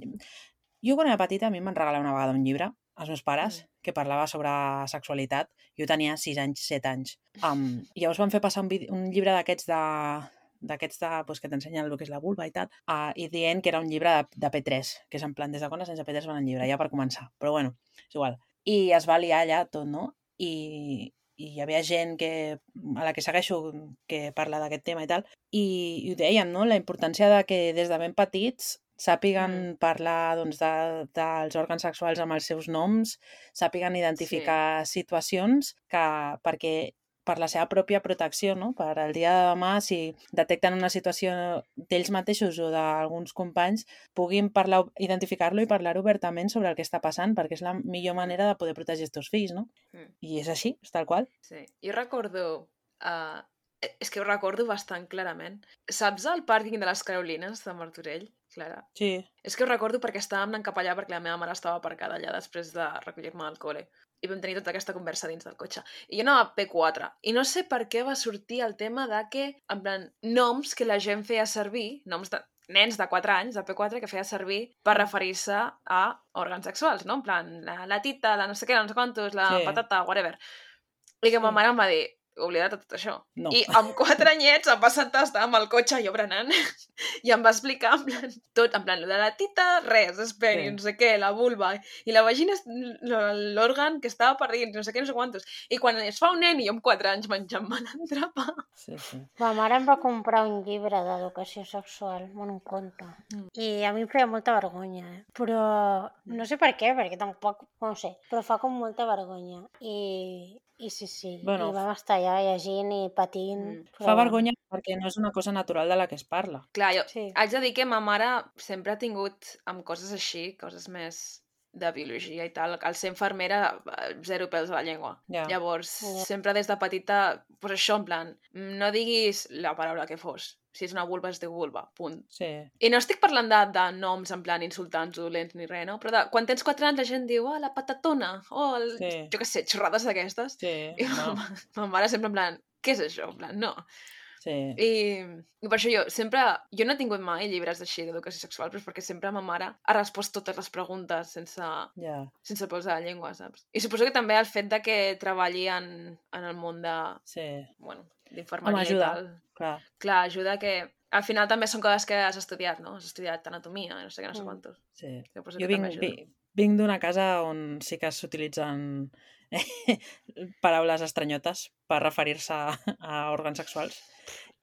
[SPEAKER 3] Jo quan era petita a mi em van regalar una vegada un llibre, els meus pares,
[SPEAKER 1] Mm.
[SPEAKER 3] que parlava sobre sexualitat. Jo tenia sis anys, set anys. Um, I llavors van fer passar un, vide... un llibre d'aquests de d'aquests de, pues, que t'ensenyen el que és la vulva i tal, uh, i dient que era un llibre de, de P tres, que és en plan, des de quan les nens de P tres van al llibre, ja per començar. Però bueno, és igual. I es va liar allà tot, no? I, i hi havia gent que, a la que segueixo que parla d'aquest tema i tal, i, i ho deien, no? La importància de que des de ben petits sàpiguen
[SPEAKER 1] Mm.
[SPEAKER 3] parlar doncs, de, dels òrgans sexuals amb els seus noms, sàpiguen identificar sí. situacions que, perquè per la seva pròpia protecció, no? Per al dia de demà, si detecten una situació d'ells mateixos o d'alguns companys, puguin parlar, identificar-lo i parlar obertament sobre el que està passant, perquè és la millor manera de poder protegir els teus fills, no?
[SPEAKER 1] Mm.
[SPEAKER 3] I és així, és tal qual.
[SPEAKER 1] Sí. Jo recordo... Uh, és que ho recordo bastant clarament. Saps el pàrquing de les Carolines de Martorell, Clara?
[SPEAKER 3] Sí.
[SPEAKER 1] És que ho recordo perquè estàvem anant cap allà perquè la meva mare estava aparcada allà després de recollir-me al col·le. I vam tenir tota aquesta conversa dins del cotxe. I jo anava a P quatre. I no sé per què va sortir el tema de que, en plan, noms que la gent feia servir, noms de nens de quatre anys, de P quatre, que feia servir per referir-se a òrgans sexuals, no? En plan, la, la tita, la no sé què, no sé quantos, la
[SPEAKER 3] Sí.
[SPEAKER 1] patata, whatever. I que
[SPEAKER 2] Sí.
[SPEAKER 1] ma mare em va dir, oblida't de tot això.
[SPEAKER 3] No.
[SPEAKER 1] I amb quatre anyets em va sentar, estava amb el cotxe jo berenant, i em va explicar en plan, tot, en plan, lo de la tita, res, és peni,
[SPEAKER 3] Sí.
[SPEAKER 1] no sé què, la vulva, i la vagina és l'òrgan que estava per dins, no sé què, no sé quantos. I quan es fa un nen i jo amb quatre anys menjant-me l'entrapa.
[SPEAKER 3] Sí, sí.
[SPEAKER 2] Ma mare em va comprar un llibre d'educació sexual, bueno, un conte.
[SPEAKER 1] Mm.
[SPEAKER 2] I a mi em feia molta vergonya, eh? Però no sé per què, perquè tampoc, no ho sé, però fa com molta vergonya. I, i sí, sí,
[SPEAKER 3] Bueno,
[SPEAKER 2] i vam estar allà llegint i patint.
[SPEAKER 1] Mm.
[SPEAKER 2] Però
[SPEAKER 3] fa
[SPEAKER 2] bueno.
[SPEAKER 3] vergonya perquè no és una cosa natural de la que es parla.
[SPEAKER 1] Clar, jo
[SPEAKER 2] Sí.
[SPEAKER 1] haig de dir que ma mare sempre ha tingut amb coses així, coses més de biologia i tal, al ser infermera, eh, zero pèls a la llengua.
[SPEAKER 3] Ja.
[SPEAKER 1] Llavors,
[SPEAKER 2] Ja.
[SPEAKER 1] sempre des de petita, pues això, en plan, no diguis la paraula que fos. Si és una vulva, es diu vulva, punt.
[SPEAKER 3] Sí.
[SPEAKER 1] I no estic parlant de, de noms en plan insultants, dolents ni res, no? Però de, quan tens quatre anys la gent diu, oh, la patatona, o oh, el...
[SPEAKER 3] Sí.
[SPEAKER 1] jo què sé, xorrades d'aquestes.
[SPEAKER 3] Sí,
[SPEAKER 1] I ma,
[SPEAKER 3] no.
[SPEAKER 1] ma mare sempre en plan, què és això? En plan, no.
[SPEAKER 3] Sí.
[SPEAKER 1] I, I per això jo sempre... Jo no he tingut mai llibres així d'educació sexual, però és perquè sempre ma mare ha respost totes les preguntes sense,
[SPEAKER 3] Ja.
[SPEAKER 1] sense pèls a la llengua, saps? I suposo que també el fet de que treballi en, en el món de...
[SPEAKER 3] Sí.
[SPEAKER 1] Bueno,
[SPEAKER 3] Home,
[SPEAKER 1] d'infermeria i
[SPEAKER 3] ajuda,
[SPEAKER 1] tal.
[SPEAKER 3] clar.
[SPEAKER 1] Clar, ajuda que... Al final també són coses que has estudiat, no? Has estudiat anatomia, no sé què, no sé
[SPEAKER 2] Mm.
[SPEAKER 1] quantos.
[SPEAKER 3] Sí.
[SPEAKER 1] Suposo
[SPEAKER 3] Jo
[SPEAKER 1] que
[SPEAKER 3] vinc,
[SPEAKER 1] també ajuda.
[SPEAKER 3] vi- vinc d'una casa on sí que s'utilitzen paraules estranyotes per referir-se a, a òrgans sexuals.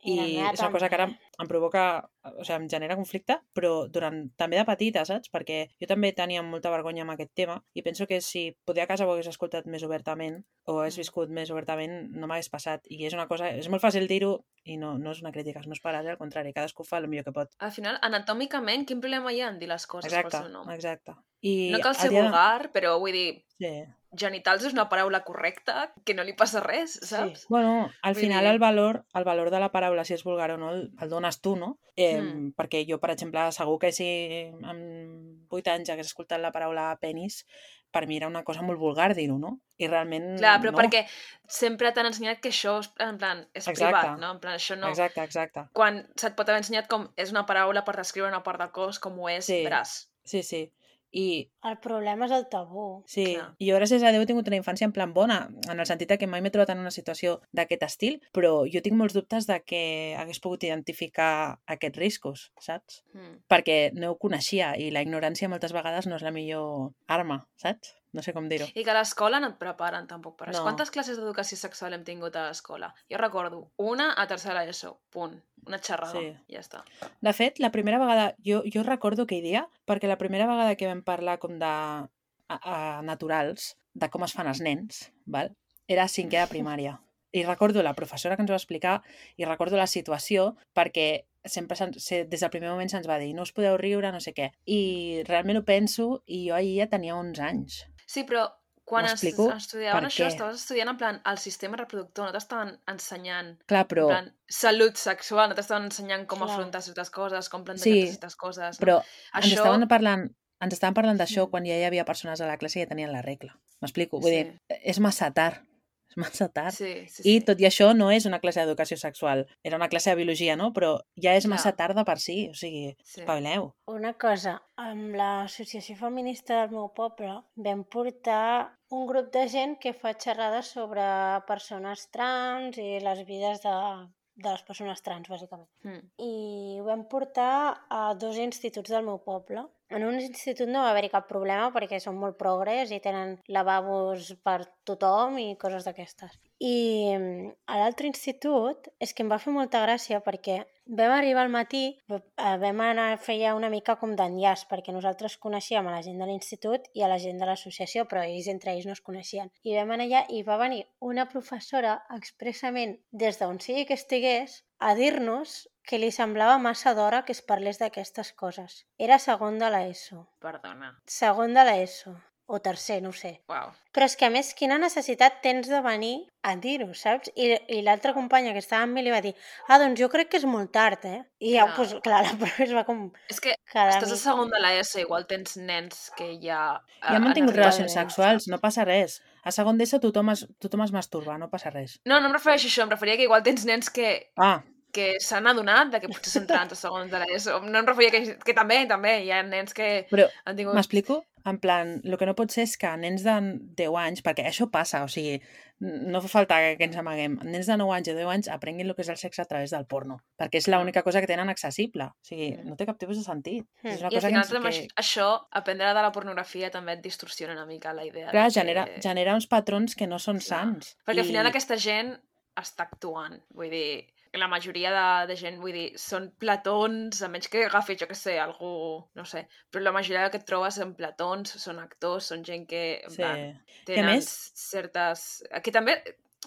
[SPEAKER 2] I la
[SPEAKER 3] I
[SPEAKER 2] meva
[SPEAKER 3] és una cosa que ara
[SPEAKER 2] també.
[SPEAKER 3] em provoca, o sigui, em genera conflicte, però durant, també de petita, saps? Perquè jo també tenia molta vergonya amb aquest tema i penso que si poder a casa ho hagués escoltat més obertament o hagués
[SPEAKER 1] Mm.
[SPEAKER 3] viscut més obertament, no m'hagués passat. I és una cosa, és molt fàcil dir-ho i no, no és una crítica als meus pares, eh? Al contrari, cadascú fa el millor que pot.
[SPEAKER 1] Al final, anatòmicament, quin problema hi ha en dir les coses
[SPEAKER 3] Exacte,
[SPEAKER 1] pel seu nom?
[SPEAKER 3] exacte. I
[SPEAKER 1] No cal
[SPEAKER 3] el
[SPEAKER 1] ser
[SPEAKER 3] dia de-
[SPEAKER 1] vulgar, però vull dir,
[SPEAKER 3] Sí.
[SPEAKER 1] genitals és una paraula correcta, que no li passa res, saps?
[SPEAKER 3] Bueno, al
[SPEAKER 1] Vull
[SPEAKER 3] final
[SPEAKER 1] dir-
[SPEAKER 3] el valor, el valor de la paraula, si és vulgar o no, el, el dones tu, no? Eh,
[SPEAKER 1] Mm.
[SPEAKER 3] Perquè jo, per exemple, segur que si amb vuit anys hagués escoltat la paraula penis, per mi era una cosa molt vulgar dir-ho, no? I realment
[SPEAKER 1] Clar, però
[SPEAKER 3] no.
[SPEAKER 1] perquè sempre t'han ensenyat que això, és, en plan, és
[SPEAKER 3] Exacte.
[SPEAKER 1] privat, no? En plan, això no...
[SPEAKER 3] Exacte, exacte.
[SPEAKER 1] Quan se't pot haver ensenyat com és una paraula per descriure una part del cos com ho és
[SPEAKER 3] Sí.
[SPEAKER 1] braç.
[SPEAKER 3] Sí, sí. I
[SPEAKER 2] El problema és el tabú.
[SPEAKER 3] sí,
[SPEAKER 1] Clar.
[SPEAKER 3] i jo gràcies a Déu he tingut una infància en plan bona, en el sentit de que mai m'he trobat en una situació d'aquest estil, però jo tinc molts dubtes de que hagués pogut identificar aquests riscos, saps?
[SPEAKER 1] Mm.
[SPEAKER 3] Perquè no ho coneixia i la ignorància moltes vegades no és la millor arma, saps? no sé com dir-ho.
[SPEAKER 1] I que a l'escola no et preparen tampoc per això.
[SPEAKER 3] No.
[SPEAKER 1] Quantes classes d'educació sexual hem tingut a l'escola? Jo recordo una a tercera ESO, punt. Una xerrada,
[SPEAKER 3] Sí.
[SPEAKER 1] ja està.
[SPEAKER 3] De fet, la primera vegada, jo, jo recordo aquell dia, perquè la primera vegada que vam parlar com de a, a, naturals, de com es fan els nens, val? Era a cinquè de primària. I recordo la professora que ens va explicar i recordo la situació perquè sempre se'ns- se, des del primer moment se'ns va dir no us podeu riure, no sé què. I realment ho penso i jo ahir ja tenia onze anys.
[SPEAKER 1] Sí, però quan es,
[SPEAKER 3] M'explico
[SPEAKER 1] estudiaven
[SPEAKER 3] per
[SPEAKER 1] això,
[SPEAKER 3] què.
[SPEAKER 1] estaves estudiant en plan el sistema reproductor, no t'estaven ensenyant
[SPEAKER 3] Clar,
[SPEAKER 1] en
[SPEAKER 3] però...
[SPEAKER 1] plan salut sexual, no t'estaven ensenyant com
[SPEAKER 2] Clar.
[SPEAKER 1] afrontar certes coses, com plantejar
[SPEAKER 3] Sí,
[SPEAKER 1] certes coses, no?
[SPEAKER 3] però ens
[SPEAKER 1] Això...
[SPEAKER 3] estaven parlant ens estaven parlant d'això
[SPEAKER 1] Mm.
[SPEAKER 3] quan ja hi havia persones a la classe que ja tenien la regla. M'explico? Vull
[SPEAKER 1] Sí.
[SPEAKER 3] dir, és massa tard. És massa tard.
[SPEAKER 1] Sí, sí,
[SPEAKER 3] I
[SPEAKER 1] sí.
[SPEAKER 3] tot i això no és una classe d'educació sexual. Era una classe de biologia, no? Però ja és
[SPEAKER 1] Clar.
[SPEAKER 3] massa tard de per si. O sigui,
[SPEAKER 1] Sí.
[SPEAKER 3] espavileu.
[SPEAKER 2] Una cosa, amb l'associació feminista del meu poble vam portar un grup de gent que fa xerrades sobre persones trans i les vides de, de les persones trans, bàsicament.
[SPEAKER 1] Mm.
[SPEAKER 2] I ho vam portar a dos instituts del meu poble. En un institut no va haver-hi cap problema perquè són molt progres i tenen lavabos per tothom i coses d'aquestes. I mm, a l'altre institut és que em va fer molta gràcia perquè vam arribar al matí, eh, vam anar a fer ja una mica com d'enllaç perquè nosaltres coneixíem a la gent de l'institut i a la gent de l'associació, però ells entre ells no es coneixien. I vam anar allà i va venir una professora expressament des d'on sigui que estigués a dir-nos que li semblava massa d'hora que es parlés d'aquestes coses. Era segon de l'ESO.
[SPEAKER 1] Perdona.
[SPEAKER 2] Segon de l'ESO. O tercer, no ho sé.
[SPEAKER 1] Uau.
[SPEAKER 2] Però és que, a més, quina necessitat tens de venir a dir-ho, saps? I, i l'altra companya que estava amb mi li va dir ah, doncs jo crec que és molt tard, eh? I ja,
[SPEAKER 1] Clar.
[SPEAKER 2] pues, clar, la profe es va com
[SPEAKER 1] És que
[SPEAKER 2] quedar
[SPEAKER 1] estàs a
[SPEAKER 2] mig-
[SPEAKER 1] segon de l'ESO, igual tens nens que ja... eh,
[SPEAKER 3] Ja han mantingut
[SPEAKER 1] arribat,
[SPEAKER 3] relacions sexuals, no passa res. A segon d'ESO tothom es, tothom es masturba, no passa res.
[SPEAKER 1] No, no em refereixo a això, em referia que igual tens nens que,
[SPEAKER 3] Ah,
[SPEAKER 1] que s'han adonat de que potser són trans a segons de l'ESO. No em referia que, que també, també, hi ha nens que
[SPEAKER 3] però
[SPEAKER 1] han tingut...
[SPEAKER 3] m'explico? En plan, el que no pot ser és que nens de deu anys, perquè això passa, o sigui, no fa falta que ens amaguem, nens de nou anys o deu anys aprenguin el que és el sexe a través del porno, perquè és l'única cosa que tenen accessible. O sigui,
[SPEAKER 1] Mm.
[SPEAKER 3] no té cap tipus de sentit.
[SPEAKER 2] Mm.
[SPEAKER 3] És una
[SPEAKER 1] I al
[SPEAKER 3] cosa
[SPEAKER 1] final
[SPEAKER 3] que,
[SPEAKER 1] també
[SPEAKER 3] ens, que
[SPEAKER 1] això, aprendre de la pornografia també et distorsiona una mica la idea.
[SPEAKER 3] clar,
[SPEAKER 1] de que...
[SPEAKER 3] genera, genera uns patrons que no són
[SPEAKER 1] Clar.
[SPEAKER 3] sants.
[SPEAKER 1] Perquè al final
[SPEAKER 3] I-
[SPEAKER 1] aquesta gent està actuant, vull dir, la majoria de, de gent, vull dir, són platons, a menys que agafis, jo què sé, algú, no sé, però la majoria que et trobes són platons, són actors, són gent que, en
[SPEAKER 3] Sí.
[SPEAKER 1] plan,
[SPEAKER 3] Que a
[SPEAKER 1] tenen
[SPEAKER 3] més-
[SPEAKER 1] certes... Que també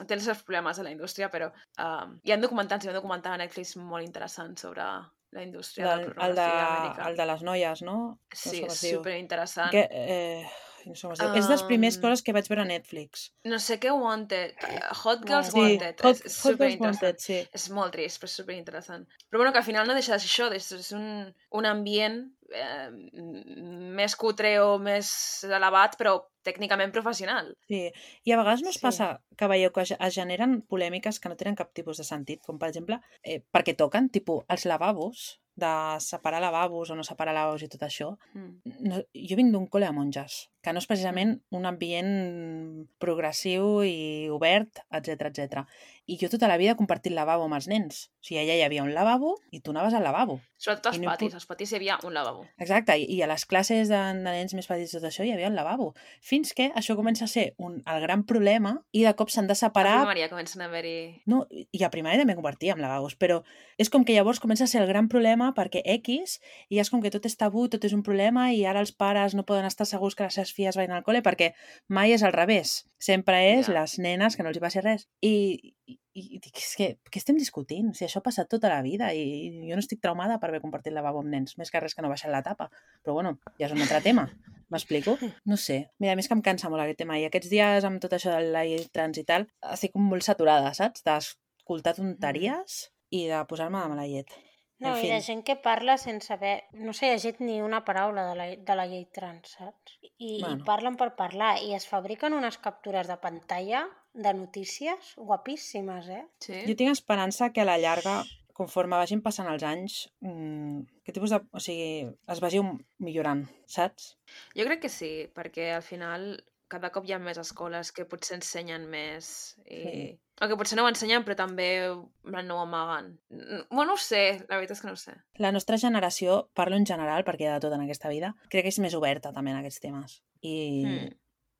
[SPEAKER 1] té els seus problemes a la indústria, però um, hi ha documentals, hi ha un documental a Netflix molt interessant sobre la indústria de la
[SPEAKER 3] el, el, de,
[SPEAKER 1] pornografia americana.
[SPEAKER 3] el de les noies, no? No sé
[SPEAKER 1] Sí,
[SPEAKER 3] com
[SPEAKER 1] és
[SPEAKER 3] es diu.
[SPEAKER 1] superinteressant.
[SPEAKER 3] Que, eh, no sé com es diu. És de les primeres
[SPEAKER 1] Um,
[SPEAKER 3] coses que vaig veure a Netflix.
[SPEAKER 1] No sé què Wanted, Hot Girls
[SPEAKER 2] Sí,
[SPEAKER 1] Wanted,
[SPEAKER 3] Hot,
[SPEAKER 1] és, és
[SPEAKER 3] Hot Girls
[SPEAKER 1] superinteressant.
[SPEAKER 3] Wanted, sí.
[SPEAKER 1] És molt trist, però és superinteressant. Però bueno, que al final no deixa de ser això, és, és un, un ambient eh, m- més cutre o més elevat, però tècnicament professional.
[SPEAKER 3] Sí, i a vegades no us
[SPEAKER 2] Sí.
[SPEAKER 3] passa que veieu que es es generen polèmiques que no tenen cap tipus de sentit, com per exemple, eh, perquè toquen, tipus, els lavabos, de separar lavabos o no separar lavabos i tot això.
[SPEAKER 1] Mm.
[SPEAKER 3] No, jo vinc d'un col·le de monges, que no és precisament un ambient progressiu i obert, etc etc. I jo tota la vida he compartit lavabo amb els nens. O sigui, allà hi havia un lavabo i tu anaves al lavabo.
[SPEAKER 1] Sobretot als
[SPEAKER 3] I no
[SPEAKER 1] patis,
[SPEAKER 3] impo-
[SPEAKER 1] als patis hi havia un lavabo.
[SPEAKER 3] Exacte, i, i a les classes de, de nens més petits tot això hi havia un lavabo. Fins que això comença a ser un, el gran problema i de cop s'han de
[SPEAKER 1] A
[SPEAKER 3] separar...
[SPEAKER 1] primària comencen a haver-hi...
[SPEAKER 3] No, i a primària també compartia amb lavabos, però és com que llavors comença a ser el gran problema perquè X, i és com que tot és tabú, tot és un problema, i ara els pares no poden estar segurs que les seves filles vagin al col·le perquè mai és al revés. Sempre és
[SPEAKER 1] Ja.
[SPEAKER 3] les nenes que no els hi passi res. I, i, i dic, és que, què estem discutint? Si això ha passat tota la vida i, i jo no estic traumada per haver compartit lavabo amb nens, més que res que no baixen la tapa. Però bueno, ja és un altre tema. M'explico? No sé. Mira, a més que em cansa molt aquest tema. I aquests dies, amb tot això de la llei trans i tal, estic com molt saturada, saps? D'escoltar tonteries i de posar-me de mala llet.
[SPEAKER 2] No,
[SPEAKER 3] En
[SPEAKER 2] i de
[SPEAKER 3] fi.
[SPEAKER 2] gent que parla sense haver... No s'ha llegit ni una paraula de la, de la llei trans, saps? I,
[SPEAKER 3] Bueno.
[SPEAKER 2] I parlen per parlar. I es fabriquen unes captures de pantalla de notícies guapíssimes, eh?
[SPEAKER 1] Sí?
[SPEAKER 3] Jo tinc esperança que a la llarga, conforme vagin passant els anys, mmm, que tipus de... O sigui, es vagi um- millorant, saps?
[SPEAKER 1] Jo crec que sí, perquè al final cada cop hi ha més escoles que potser ensenyen més i...
[SPEAKER 3] Sí.
[SPEAKER 1] O que potser no ho ensenyen però també en plan, no ho amaguen. N- Bueno, no ho sé, la veritat és que no ho sé.
[SPEAKER 3] La nostra generació, parlo en general perquè hi ha de tot en aquesta vida, crec que és més oberta també en aquests temes. I,
[SPEAKER 1] Mm.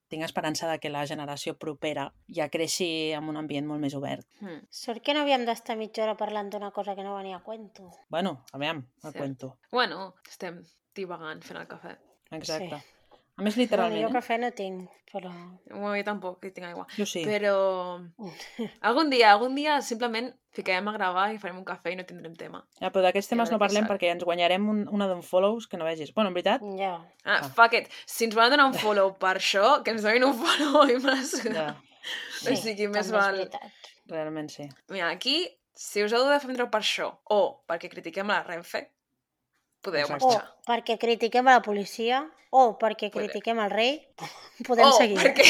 [SPEAKER 3] tinc esperança de que la generació propera ja creixi en un ambient molt més obert.
[SPEAKER 1] Mm.
[SPEAKER 2] Sort que no havíem d'estar mitja hora parlant d'una cosa que no venia a cuento.
[SPEAKER 3] Bueno, aviam, a
[SPEAKER 1] Cert.
[SPEAKER 3] cuento.
[SPEAKER 1] Bueno, estem divagant fent el cafè.
[SPEAKER 3] Exacte.
[SPEAKER 2] Sí.
[SPEAKER 3] A més,
[SPEAKER 2] Bueno,
[SPEAKER 3] literalment,
[SPEAKER 2] jo
[SPEAKER 3] eh?
[SPEAKER 2] cafè no tinc, però...
[SPEAKER 1] Bueno, jo tampoc, que tinc aigua.
[SPEAKER 3] Jo sí.
[SPEAKER 1] Però algun dia, algun dia simplement ficarem a gravar i farem un cafè i no tindrem tema.
[SPEAKER 3] Ja, però d'aquests
[SPEAKER 1] I a
[SPEAKER 3] temes
[SPEAKER 1] veure
[SPEAKER 3] no
[SPEAKER 1] què
[SPEAKER 3] parlem
[SPEAKER 1] surt.
[SPEAKER 3] perquè ens guanyarem un, una d'unfollows que no vegis. Bueno, en veritat,
[SPEAKER 2] Ja.
[SPEAKER 1] Ah,
[SPEAKER 3] Ah.
[SPEAKER 1] fuck it. Si ens volen donar un follow per això, que ens donin un follow i me la suda.
[SPEAKER 3] ja,
[SPEAKER 1] O sigui, més
[SPEAKER 2] també és
[SPEAKER 1] val...
[SPEAKER 2] veritat.
[SPEAKER 3] realment sí.
[SPEAKER 1] Mira, aquí, si us heu de defendre per això o perquè critiquem la Renfe, podeu
[SPEAKER 3] Exacte.
[SPEAKER 2] O
[SPEAKER 1] marxar.
[SPEAKER 2] perquè critiquem a la policia, o perquè
[SPEAKER 1] Podeu.
[SPEAKER 2] critiquem el rei, podem
[SPEAKER 1] o
[SPEAKER 2] seguir.
[SPEAKER 1] perquè...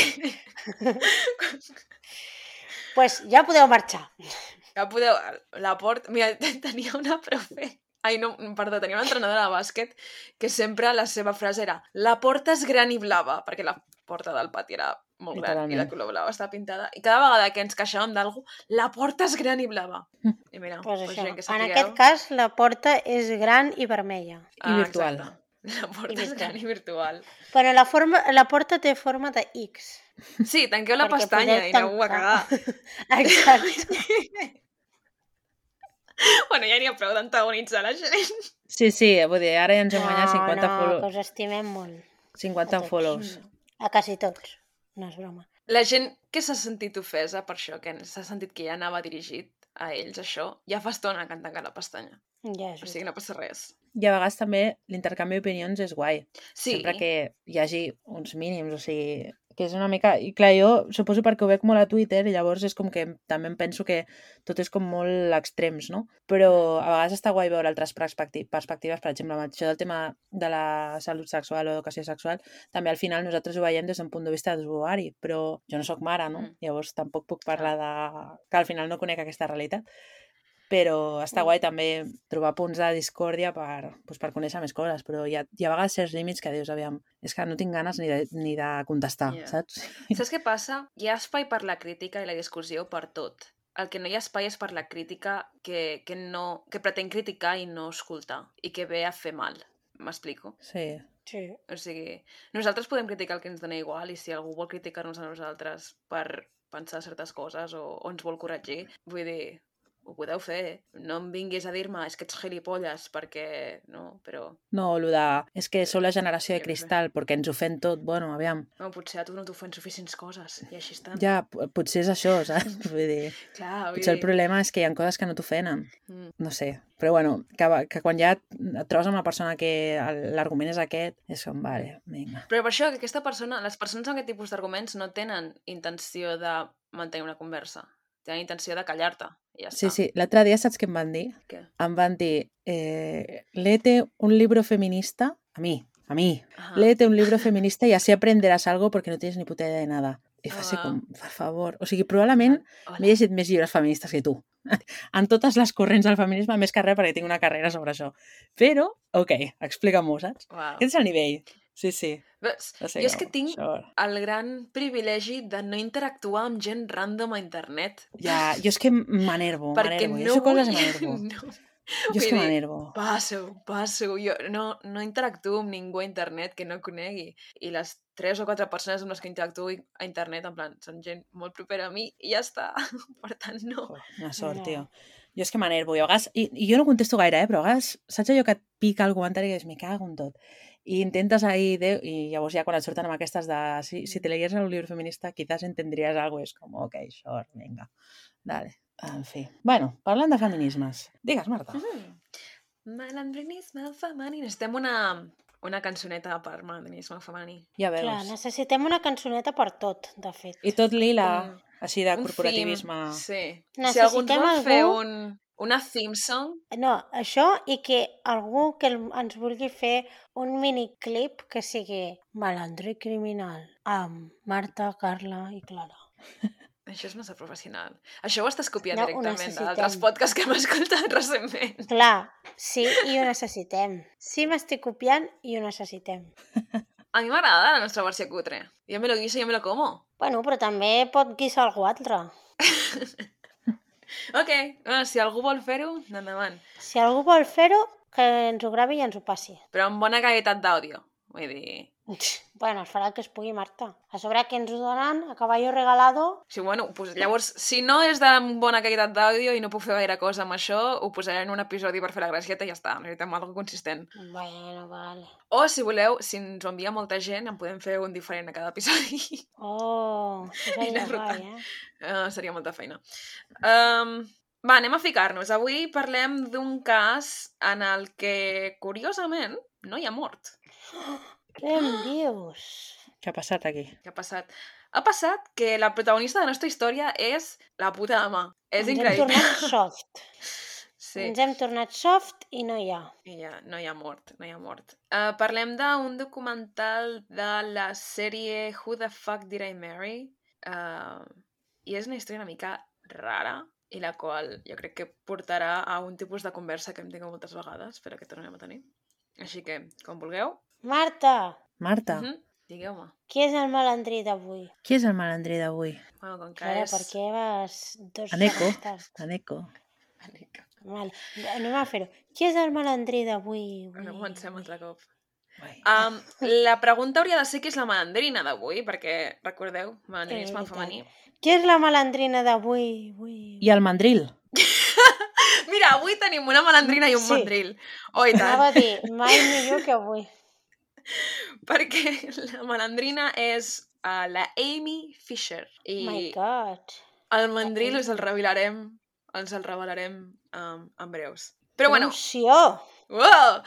[SPEAKER 2] Pues ja podeu marxar.
[SPEAKER 1] Ja podeu... La porta... Mira, tenia una profe... Ai, no, perdó, tenia una entrenadora de bàsquet que sempre la seva frase era la porta és gran i blava, perquè la porta del pati era molt gran i la
[SPEAKER 3] Literalment.
[SPEAKER 1] color blava estava pintada. I cada vegada que ens queixàvem d'algú, la porta és gran i blava. I mira,
[SPEAKER 2] Pues
[SPEAKER 1] pues
[SPEAKER 2] això.
[SPEAKER 1] gent que
[SPEAKER 2] En
[SPEAKER 1] sapigueu...
[SPEAKER 2] aquest cas, la porta és gran i vermella.
[SPEAKER 3] I virtual.
[SPEAKER 1] exacte. La porta
[SPEAKER 2] I
[SPEAKER 1] és gran i virtual.
[SPEAKER 2] Però la, forma, la porta té forma de X.
[SPEAKER 1] Sí, tanqueu la
[SPEAKER 2] perquè
[SPEAKER 1] pestanya
[SPEAKER 2] podeu
[SPEAKER 1] i aneu a
[SPEAKER 2] tancar.
[SPEAKER 1] cagar.
[SPEAKER 2] Exacte.
[SPEAKER 1] Bueno, ja n'hi ha prou d'antagonitzar la gent.
[SPEAKER 3] Sí, sí, vull dir, ara ja ens hem guanyat cinquanta
[SPEAKER 2] no,
[SPEAKER 3] follow...
[SPEAKER 2] que us estimem molt.
[SPEAKER 3] cinquanta
[SPEAKER 2] a tots.
[SPEAKER 3] follows.
[SPEAKER 2] A quasi tots. No és broma.
[SPEAKER 1] La gent que s'ha sentit ofesa per això, que s'ha sentit que ja anava dirigit a ells, això, ja fa estona que han tancat la pestanya.
[SPEAKER 2] Ja és
[SPEAKER 1] O sigui, no passa res.
[SPEAKER 3] I a vegades també l'intercanvi d'opinions és guai.
[SPEAKER 1] Sí,
[SPEAKER 3] Sempre que hi hagi uns mínims, o sigui, que és una mica... I clar, jo suposo perquè ho veig molt a Twitter i llavors és com que també em penso que tot és com molt extrems, no? Però a vegades està guai veure altres perspecti- perspectives, per exemple, amb això del tema de la salut sexual o educació sexual, també al final nosaltres ho veiem des d'un punt de vista d'usuari, però jo no sóc mare, no?
[SPEAKER 1] Mm.
[SPEAKER 3] Llavors tampoc puc parlar de... que al final no conec aquesta realitat. Però està guai també trobar punts de discòrdia per, doncs, per conèixer més coses, però hi ha, hi ha a vegades certs límits que dius, aviam, és que no tinc ganes ni de, ni de contestar,
[SPEAKER 1] Yeah.
[SPEAKER 3] saps?
[SPEAKER 1] saps què passa? Hi ha espai per la crítica i la discussió per tot. El que no hi ha espai és per la crítica que, que, no, que pretén criticar i no escoltar, i que ve a fer mal. M'explico?
[SPEAKER 3] Sí.
[SPEAKER 2] Sí.
[SPEAKER 1] O sigui, nosaltres podem criticar el que ens dona igual i si algú vol criticar-nos a nosaltres per pensar certes coses o, o ens vol corregir, vull dir, ho podeu fer. No em vinguis a dir-me és que ets gilipolles perquè... No, però...
[SPEAKER 3] No, lo de... És que sou la generació de
[SPEAKER 1] Jo què sé.
[SPEAKER 3] cristal perquè ens ofèn tot. Bueno, aviam.
[SPEAKER 1] No, potser a tu no t'ofèn suficients coses i així estan.
[SPEAKER 3] Ja, p- potser és això, saps? Vull dir,
[SPEAKER 1] Clar, vull
[SPEAKER 3] potser el
[SPEAKER 1] dir...
[SPEAKER 3] problema és que hi ha coses que no t'ofenen.
[SPEAKER 1] Mm.
[SPEAKER 3] No sé. Però bueno, que, va- que quan ja et trobes amb una persona que el- l'argument és aquest, és com, vale, vinga.
[SPEAKER 1] Però per això que aquesta persona, les persones amb aquest tipus d'arguments no tenen intenció de mantenir una conversa. Tenen intenció de callar-te i ja
[SPEAKER 3] Sí,
[SPEAKER 1] està.
[SPEAKER 3] sí. L'altre dia saps què em van dir?
[SPEAKER 1] Què?
[SPEAKER 3] Em van dir, eh, léete un libro feminista, a mi, a mi,
[SPEAKER 1] Ajá.
[SPEAKER 3] léete un libro feminista y así aprenderás algo porque no tienes ni puta idea de nada. I fa ser
[SPEAKER 1] Wow.
[SPEAKER 3] com, per favor. O sigui, probablement
[SPEAKER 1] Hola.
[SPEAKER 3] m'he llegit més llibres feministes que tu. En totes les corrents del feminisme, més que res, perquè tinc una carrera sobre això. Però, ok, explica-m'ho, saps?
[SPEAKER 1] Wow.
[SPEAKER 3] Aquest és el nivell. Sí, sí.
[SPEAKER 1] Veus?
[SPEAKER 3] No sé
[SPEAKER 1] Jo és
[SPEAKER 3] com,
[SPEAKER 1] que tinc
[SPEAKER 3] això.
[SPEAKER 1] el gran privilegi de no interactuar amb gent random a internet.
[SPEAKER 3] Ja, jo és que m'enervo,
[SPEAKER 1] Perquè
[SPEAKER 3] m'enervo.
[SPEAKER 1] no
[SPEAKER 3] Jo sé coses
[SPEAKER 1] vull...
[SPEAKER 3] i m'enervo.
[SPEAKER 1] No.
[SPEAKER 3] Jo és
[SPEAKER 1] Vull
[SPEAKER 3] que
[SPEAKER 1] dir,
[SPEAKER 3] m'enervo.
[SPEAKER 1] Passo, passo. Jo no, no interactuo amb ningú a internet que no conegui. I les tres o quatre persones amb les que interactuo a internet, en plan, són gent molt propera a mi i ja està. Per tant, no.
[SPEAKER 3] Oh, una sort,
[SPEAKER 2] No.
[SPEAKER 3] tio. Jo és que m'enervo. I, a vegades, i, I jo no contesto gaire, eh? Però a vegades, saps allò que et pica el comentari i dius, me cago en tot. I intentes ahí, de, i llavors ja quan et surten amb aquestes de si, si te leyeras un libro feminista quizás entendrías algo, és com, ok, sure, vinga, dale. En fi. Bueno, parlant de feminismes. Digues, Marta.
[SPEAKER 1] Mm. Malandrinisme femení. Necessitem una, una cançoneta per malandrinisme femení.
[SPEAKER 3] Ja veus.
[SPEAKER 2] Clar, necessitem una cançoneta per tot, de fet.
[SPEAKER 3] I tot lila,
[SPEAKER 1] Com
[SPEAKER 3] així de
[SPEAKER 1] Un
[SPEAKER 3] corporativisme.
[SPEAKER 1] theme, sí. Si
[SPEAKER 2] Necessitem
[SPEAKER 1] algú ens vol fer
[SPEAKER 2] algú-
[SPEAKER 1] un, una theme song,
[SPEAKER 2] No, això i que algú que el- ens vulgui fer un miniclip que sigui malandro i criminal amb Marta, Carla i Clara.
[SPEAKER 1] això és massa professional. Això ho estàs copiant
[SPEAKER 2] No, ho
[SPEAKER 1] directament
[SPEAKER 2] necessitem.
[SPEAKER 1] d'altres podcasts que hem escoltat recentment.
[SPEAKER 2] Clar, sí, i ho necessitem. Sí, m'estic copiant i ho necessitem.
[SPEAKER 1] A mi m'agrada la nostra versió cutre. Jo me lo guiso, jo me lo como.
[SPEAKER 2] Bueno, però també pot guisar algú altre.
[SPEAKER 1] Ok, bueno, si algú vol fer-ho, endavant.
[SPEAKER 2] Si algú vol fer-ho, que ens ho gravi i ens ho passi.
[SPEAKER 1] Però amb bona qualitat d'àudio. Vull dir...
[SPEAKER 2] Bueno, es farà el que es pugui, Marta. A sobre que ens ho donen, a caballo regalado...
[SPEAKER 1] Sí, bueno, pues llavors, si no és de bona qualitat d'àudio i no puc fer gaire cosa amb això, ho posaré en un episodi per fer la gracieta i ja està, necessitem alguna cosa consistent.
[SPEAKER 2] Bueno, vale.
[SPEAKER 1] O, si voleu, si ens ho envia molta gent, en podem fer un diferent a cada episodi.
[SPEAKER 2] Oh, això seria guai, eh?
[SPEAKER 1] Uh, seria molta feina. Um, va, anem a ficar-nos. Avui parlem d'un cas en el que, curiosament, no hi ha mort.
[SPEAKER 2] Què em dius?
[SPEAKER 3] Què ha passat aquí?
[SPEAKER 1] Què ha passat? Ha passat que la protagonista de la nostra història és la puta ama. És
[SPEAKER 2] Ens
[SPEAKER 1] increïble.
[SPEAKER 2] hem tornat soft.
[SPEAKER 1] Sí.
[SPEAKER 2] Ens hem tornat soft i no hi ha.
[SPEAKER 1] I ja, no hi ha mort, no hi ha mort. Uh, parlem d'un documental de la sèrie Who the Fuck Did I Marry? Uh, I és una història una mica rara i la qual jo crec que portarà a un tipus de conversa que hem tingut moltes vegades, però que tornem a tenir. Així que, com vulgueu.
[SPEAKER 2] Marta!
[SPEAKER 3] Marta,
[SPEAKER 1] Uh -huh. Digueu-me.
[SPEAKER 2] Qui és el malandrí d'avui?
[SPEAKER 3] qui és el malandrí d'avui?
[SPEAKER 1] Bueno, com que
[SPEAKER 2] Clara,
[SPEAKER 1] és...
[SPEAKER 2] per què vas dos
[SPEAKER 3] Aneco.
[SPEAKER 2] hores tard?
[SPEAKER 3] Aneco.
[SPEAKER 1] Aneca.
[SPEAKER 2] Vale. Anem a fer-ho. Qui és el malandrí d'avui?
[SPEAKER 1] No comencem altre cop.
[SPEAKER 3] Ui.
[SPEAKER 1] Um, la pregunta hauria de ser qui és la malandrina d'avui, perquè, recordeu, malandrinisme
[SPEAKER 2] Eh,
[SPEAKER 1] femení.
[SPEAKER 2] Qui és la malandrina d'avui? Avui?
[SPEAKER 3] I el mandril?
[SPEAKER 1] Mira, avui tenim una malandrina i un
[SPEAKER 2] Sí.
[SPEAKER 1] mandril. Oh, i tant.
[SPEAKER 2] Anava a dir, mai millor que avui.
[SPEAKER 1] Perquè la malandrina és uh, la Amy Fisher. I
[SPEAKER 2] My God.
[SPEAKER 1] el mandril us el revelarem, ens el revelarem um, en breus. Però bueno,
[SPEAKER 2] Emoció!
[SPEAKER 1] wow!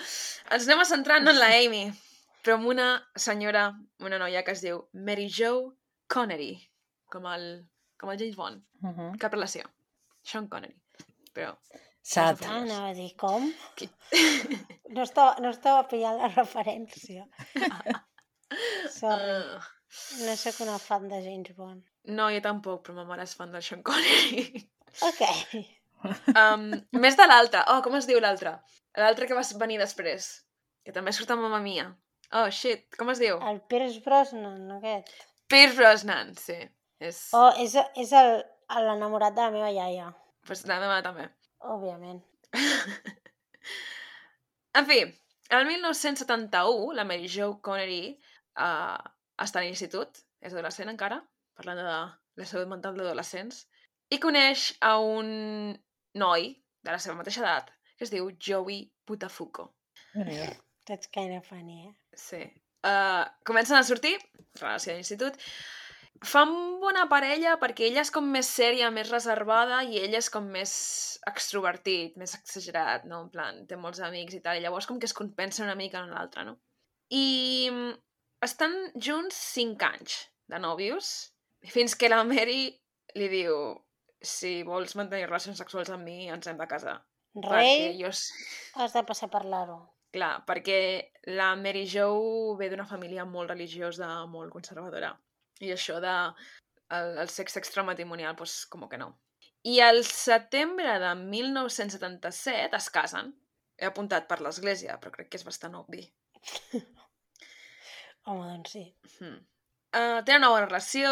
[SPEAKER 1] Ens anem a centrar no en la Amy, però en una senyora, una noia que es diu Mary Jo Connery, com el, com el James Bond.
[SPEAKER 3] Uh -huh.
[SPEAKER 1] Cap relació. Sean Connery. Però...
[SPEAKER 3] Sat.
[SPEAKER 2] Ah, anava a dir, com?
[SPEAKER 1] Qui?
[SPEAKER 2] No estava, no estava pillant la referència. Sorry,
[SPEAKER 1] Uh,
[SPEAKER 2] no sóc una fan de James Bond.
[SPEAKER 1] no, jo tampoc, però ma mare és fan del Sean Connery.
[SPEAKER 2] Ok.
[SPEAKER 1] Um, més de l'altre. Oh, com es diu l'altre? L'altre que va venir després. Que també surt amb Mamma Mia. Oh, shit, com es diu?
[SPEAKER 2] El Pierce Brosnan, aquest.
[SPEAKER 1] Pierce Brosnan, sí. És...
[SPEAKER 2] Oh, és, és el- l'enamorat de la meva iaia,
[SPEAKER 1] Pues la meva també.
[SPEAKER 2] òbviament.
[SPEAKER 1] En fi, el mil nou-cents setanta-u, la Mary Jo Connery uh, està a l'institut, és adolescent encara, parlant de la salut mental d'adolescents, i coneix a un noi de la seva mateixa edat, que es diu Joey Buttafuoco.
[SPEAKER 3] Déu-n'hi-do.
[SPEAKER 2] That's kind of funny, eh?
[SPEAKER 1] Sí. Uh, comencen a sortir, relació d'institut, fan bona parella perquè ella és com més sèria, més reservada, i ell és com més extrovertit, més exagerat, no? En plan, té molts amics i tal, i llavors com que es compensa una mica en l'altre, no? I mm, estan junts cinc anys de nòvios, fins que la Mary li diu: si vols mantenir relacions sexuals amb mi, ens hem de casar. Perquè
[SPEAKER 2] Rei,
[SPEAKER 1] jo... s-
[SPEAKER 2] has de passar per l'aro.
[SPEAKER 1] Clar, perquè la Mary Jo ve d'una família molt religiosa, molt conservadora. I això de el, el sexe extramatrimonial, doncs, com que no. I al setembre de mil nou-cents setanta-set es casen. He apuntat per l'església, però crec que és bastant obvi.
[SPEAKER 2] Home, doncs sí.
[SPEAKER 1] Hmm. Uh, tenen una bona relació,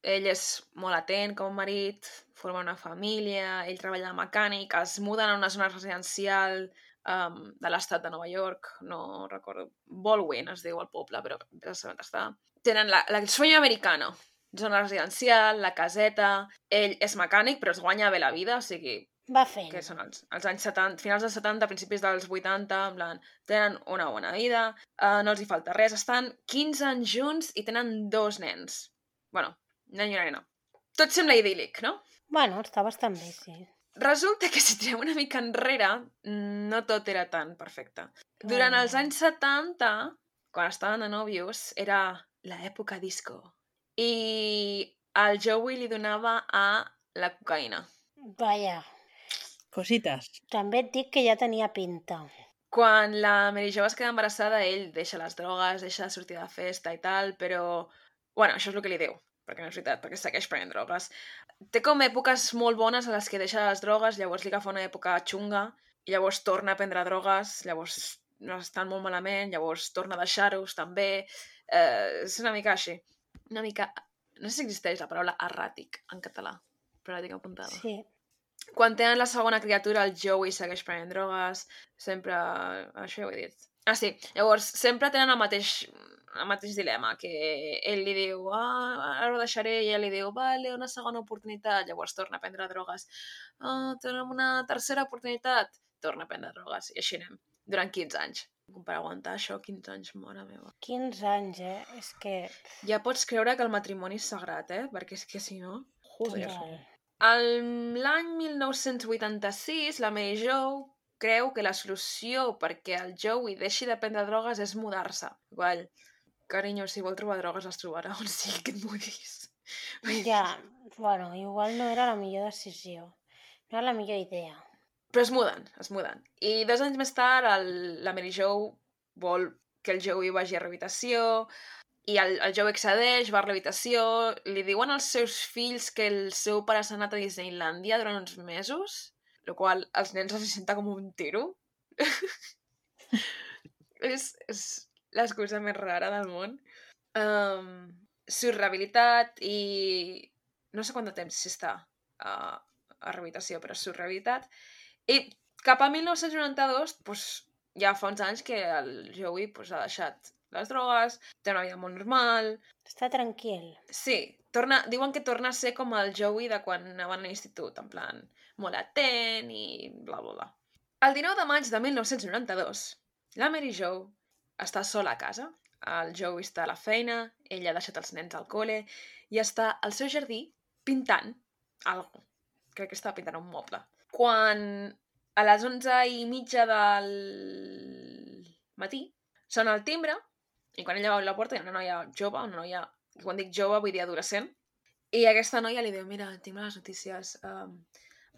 [SPEAKER 1] ell és molt atent com a marit, forma una família, ell treballa de mecànic, es muden a una zona residencial um, de l'estat de Nova York, no recordo, Baldwin es diu el poble, però ja sé on està. Tenen la, la, el sueño americano, zona residencial, la caseta, ell és mecànic però es guanya bé la vida, o sigui,
[SPEAKER 2] Va fent.
[SPEAKER 1] que són els, els anys setanta, finals dels setanta, principis dels vuitanta, en plan, tenen una bona vida, uh, no els hi falta res, estan quinze anys junts i tenen dos nens. Bueno, nen i una nena. Tot sembla idíl·lic, no?
[SPEAKER 2] Bueno, està bastant bé, sí.
[SPEAKER 1] Resulta que si tirem una mica enrere, no tot era tan perfecte. Durant els anys setanta, quan estaven de nòvios, era l'època disco. I el Joey li donava a la cocaïna.
[SPEAKER 2] Vaja,
[SPEAKER 3] Cosites.
[SPEAKER 2] també et dic que ja tenia pinta.
[SPEAKER 1] Quan la Mary Jo es queda embarassada, ell deixa les drogues, deixa de sortir de festa i tal, però... Bueno, això és el que li diu, perquè no és veritat, perquè segueix prenent drogues. Té com èpoques molt bones a les que deixa les drogues, llavors li agafa una època xunga, i llavors torna a prendre drogues, llavors no estan molt malament, llavors torna a deixar-hos també. Eh, és una mica així. Una mica... No sé si existeix la paraula erràtic en català, però la tinc apuntada.
[SPEAKER 2] Sí.
[SPEAKER 1] Quan tenen la segona criatura, el Joey segueix prenent drogues, sempre... Això ja ho he dit. Ah, sí. Llavors, sempre tenen el mateix, el mateix dilema, que ell li diu, ah, ara ho deixaré, i ell li diu, vale, una segona oportunitat, llavors torna a prendre drogues. Ah, tenim una tercera oportunitat, torna a prendre drogues, i així anem, durant quinze anys. Per aguantar això, quinze anys, mare meva.
[SPEAKER 2] quinze anys, eh? És que...
[SPEAKER 1] Ja pots creure que el matrimoni és sagrat, eh? Perquè és que si no... Joder.
[SPEAKER 2] Total.
[SPEAKER 1] El- L'any mil nou-cents vuitanta-sis, la Mary Jo creu que la solució perquè el Joey deixi de prendre drogues és mudar-se. Igual, carinyo, si vol trobar drogues les trobarà on sigui que et mudis.
[SPEAKER 2] Ja, bueno, igual no era la millor decisió. No era la millor idea.
[SPEAKER 1] Però es muden, es muden. I dos anys més tard, el, la Mary Jo vol que el Joey vagi a rehabilitació, i el, el Joey accedeix, va a l'habitació, li diuen als seus fills que el seu pare s'ha anat a Disneylàndia durant uns mesos, el qual els nens els senta com un tiro. és, és l'excusa més rara del món. Um, Surt rehabilitat i... No sé quant de temps si està a, a rehabilitació, però surt rehabilitat. I cap a mil nou-cents noranta-dos, pues, ja fa uns anys que el Joey pues, ha deixat les drogues, té una vida molt normal...
[SPEAKER 2] Està tranquil.
[SPEAKER 1] Sí, torna, diuen que torna a ser com el Joey de quan anaven a l'institut, en plan, molt atent i bla, bla, bla. El dinou de maig de mil nou-cents noranta-dos, la Mary Jo està sola a casa. El Joey està a la feina, ella ha deixat els nens al col·le i està al seu jardí pintant algo. Crec que està pintant un moble. Quan a les onze i mitja del matí sona el timbre i quan ella va obrir la porta hi ha una noia jove, una noia, quan dic jove vull dir adolescent, i aquesta noia li diu, mira, tinc les notícies, um,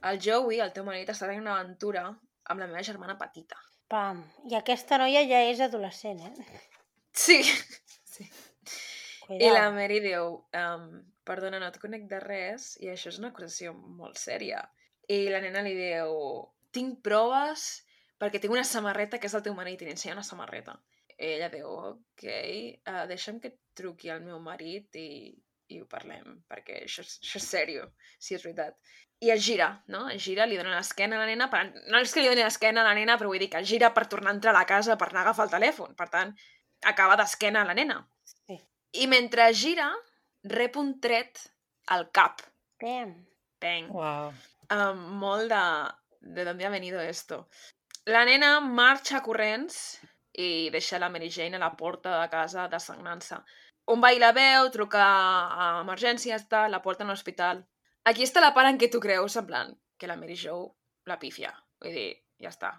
[SPEAKER 1] el Joey, el teu marit, està tenint una aventura amb la meva germana petita.
[SPEAKER 2] Pam. I aquesta noia ja és adolescent, eh?
[SPEAKER 1] Sí. sí.
[SPEAKER 2] Cuidao.
[SPEAKER 1] I la Mary diu, um, perdona, no et conec de res, i això és una acusació molt sèria. I la nena li diu, tinc proves perquè tinc una samarreta que és del teu marit, i li ensenya una samarreta. I ella diu, ok, uh, deixa'm que et truqui al meu marit i, i ho parlem, perquè això, és- això és sèrio, si és veritat. I es gira, no? Es gira, li dona l'esquena a la nena, per... no és que li doni l'esquena a la nena, però vull dir que es gira per tornar a entrar a la casa per anar a agafar el telèfon. Per tant, acaba d'esquena a la nena.
[SPEAKER 2] Sí.
[SPEAKER 1] I mentre gira, rep un tret al cap.
[SPEAKER 2] Pam.
[SPEAKER 1] Peng.
[SPEAKER 3] Uau.
[SPEAKER 1] Um, molt de... de dónde ha venido esto. La nena marxa corrents i deixa la Mary Jane a la porta de casa desagnant-se. Un veí la veu, truca a emergències, tal, la porta a l'hospital. Aquí està la part en què tu creus, en plan, que la Mary Jo la pífia. Vull dir, ja està.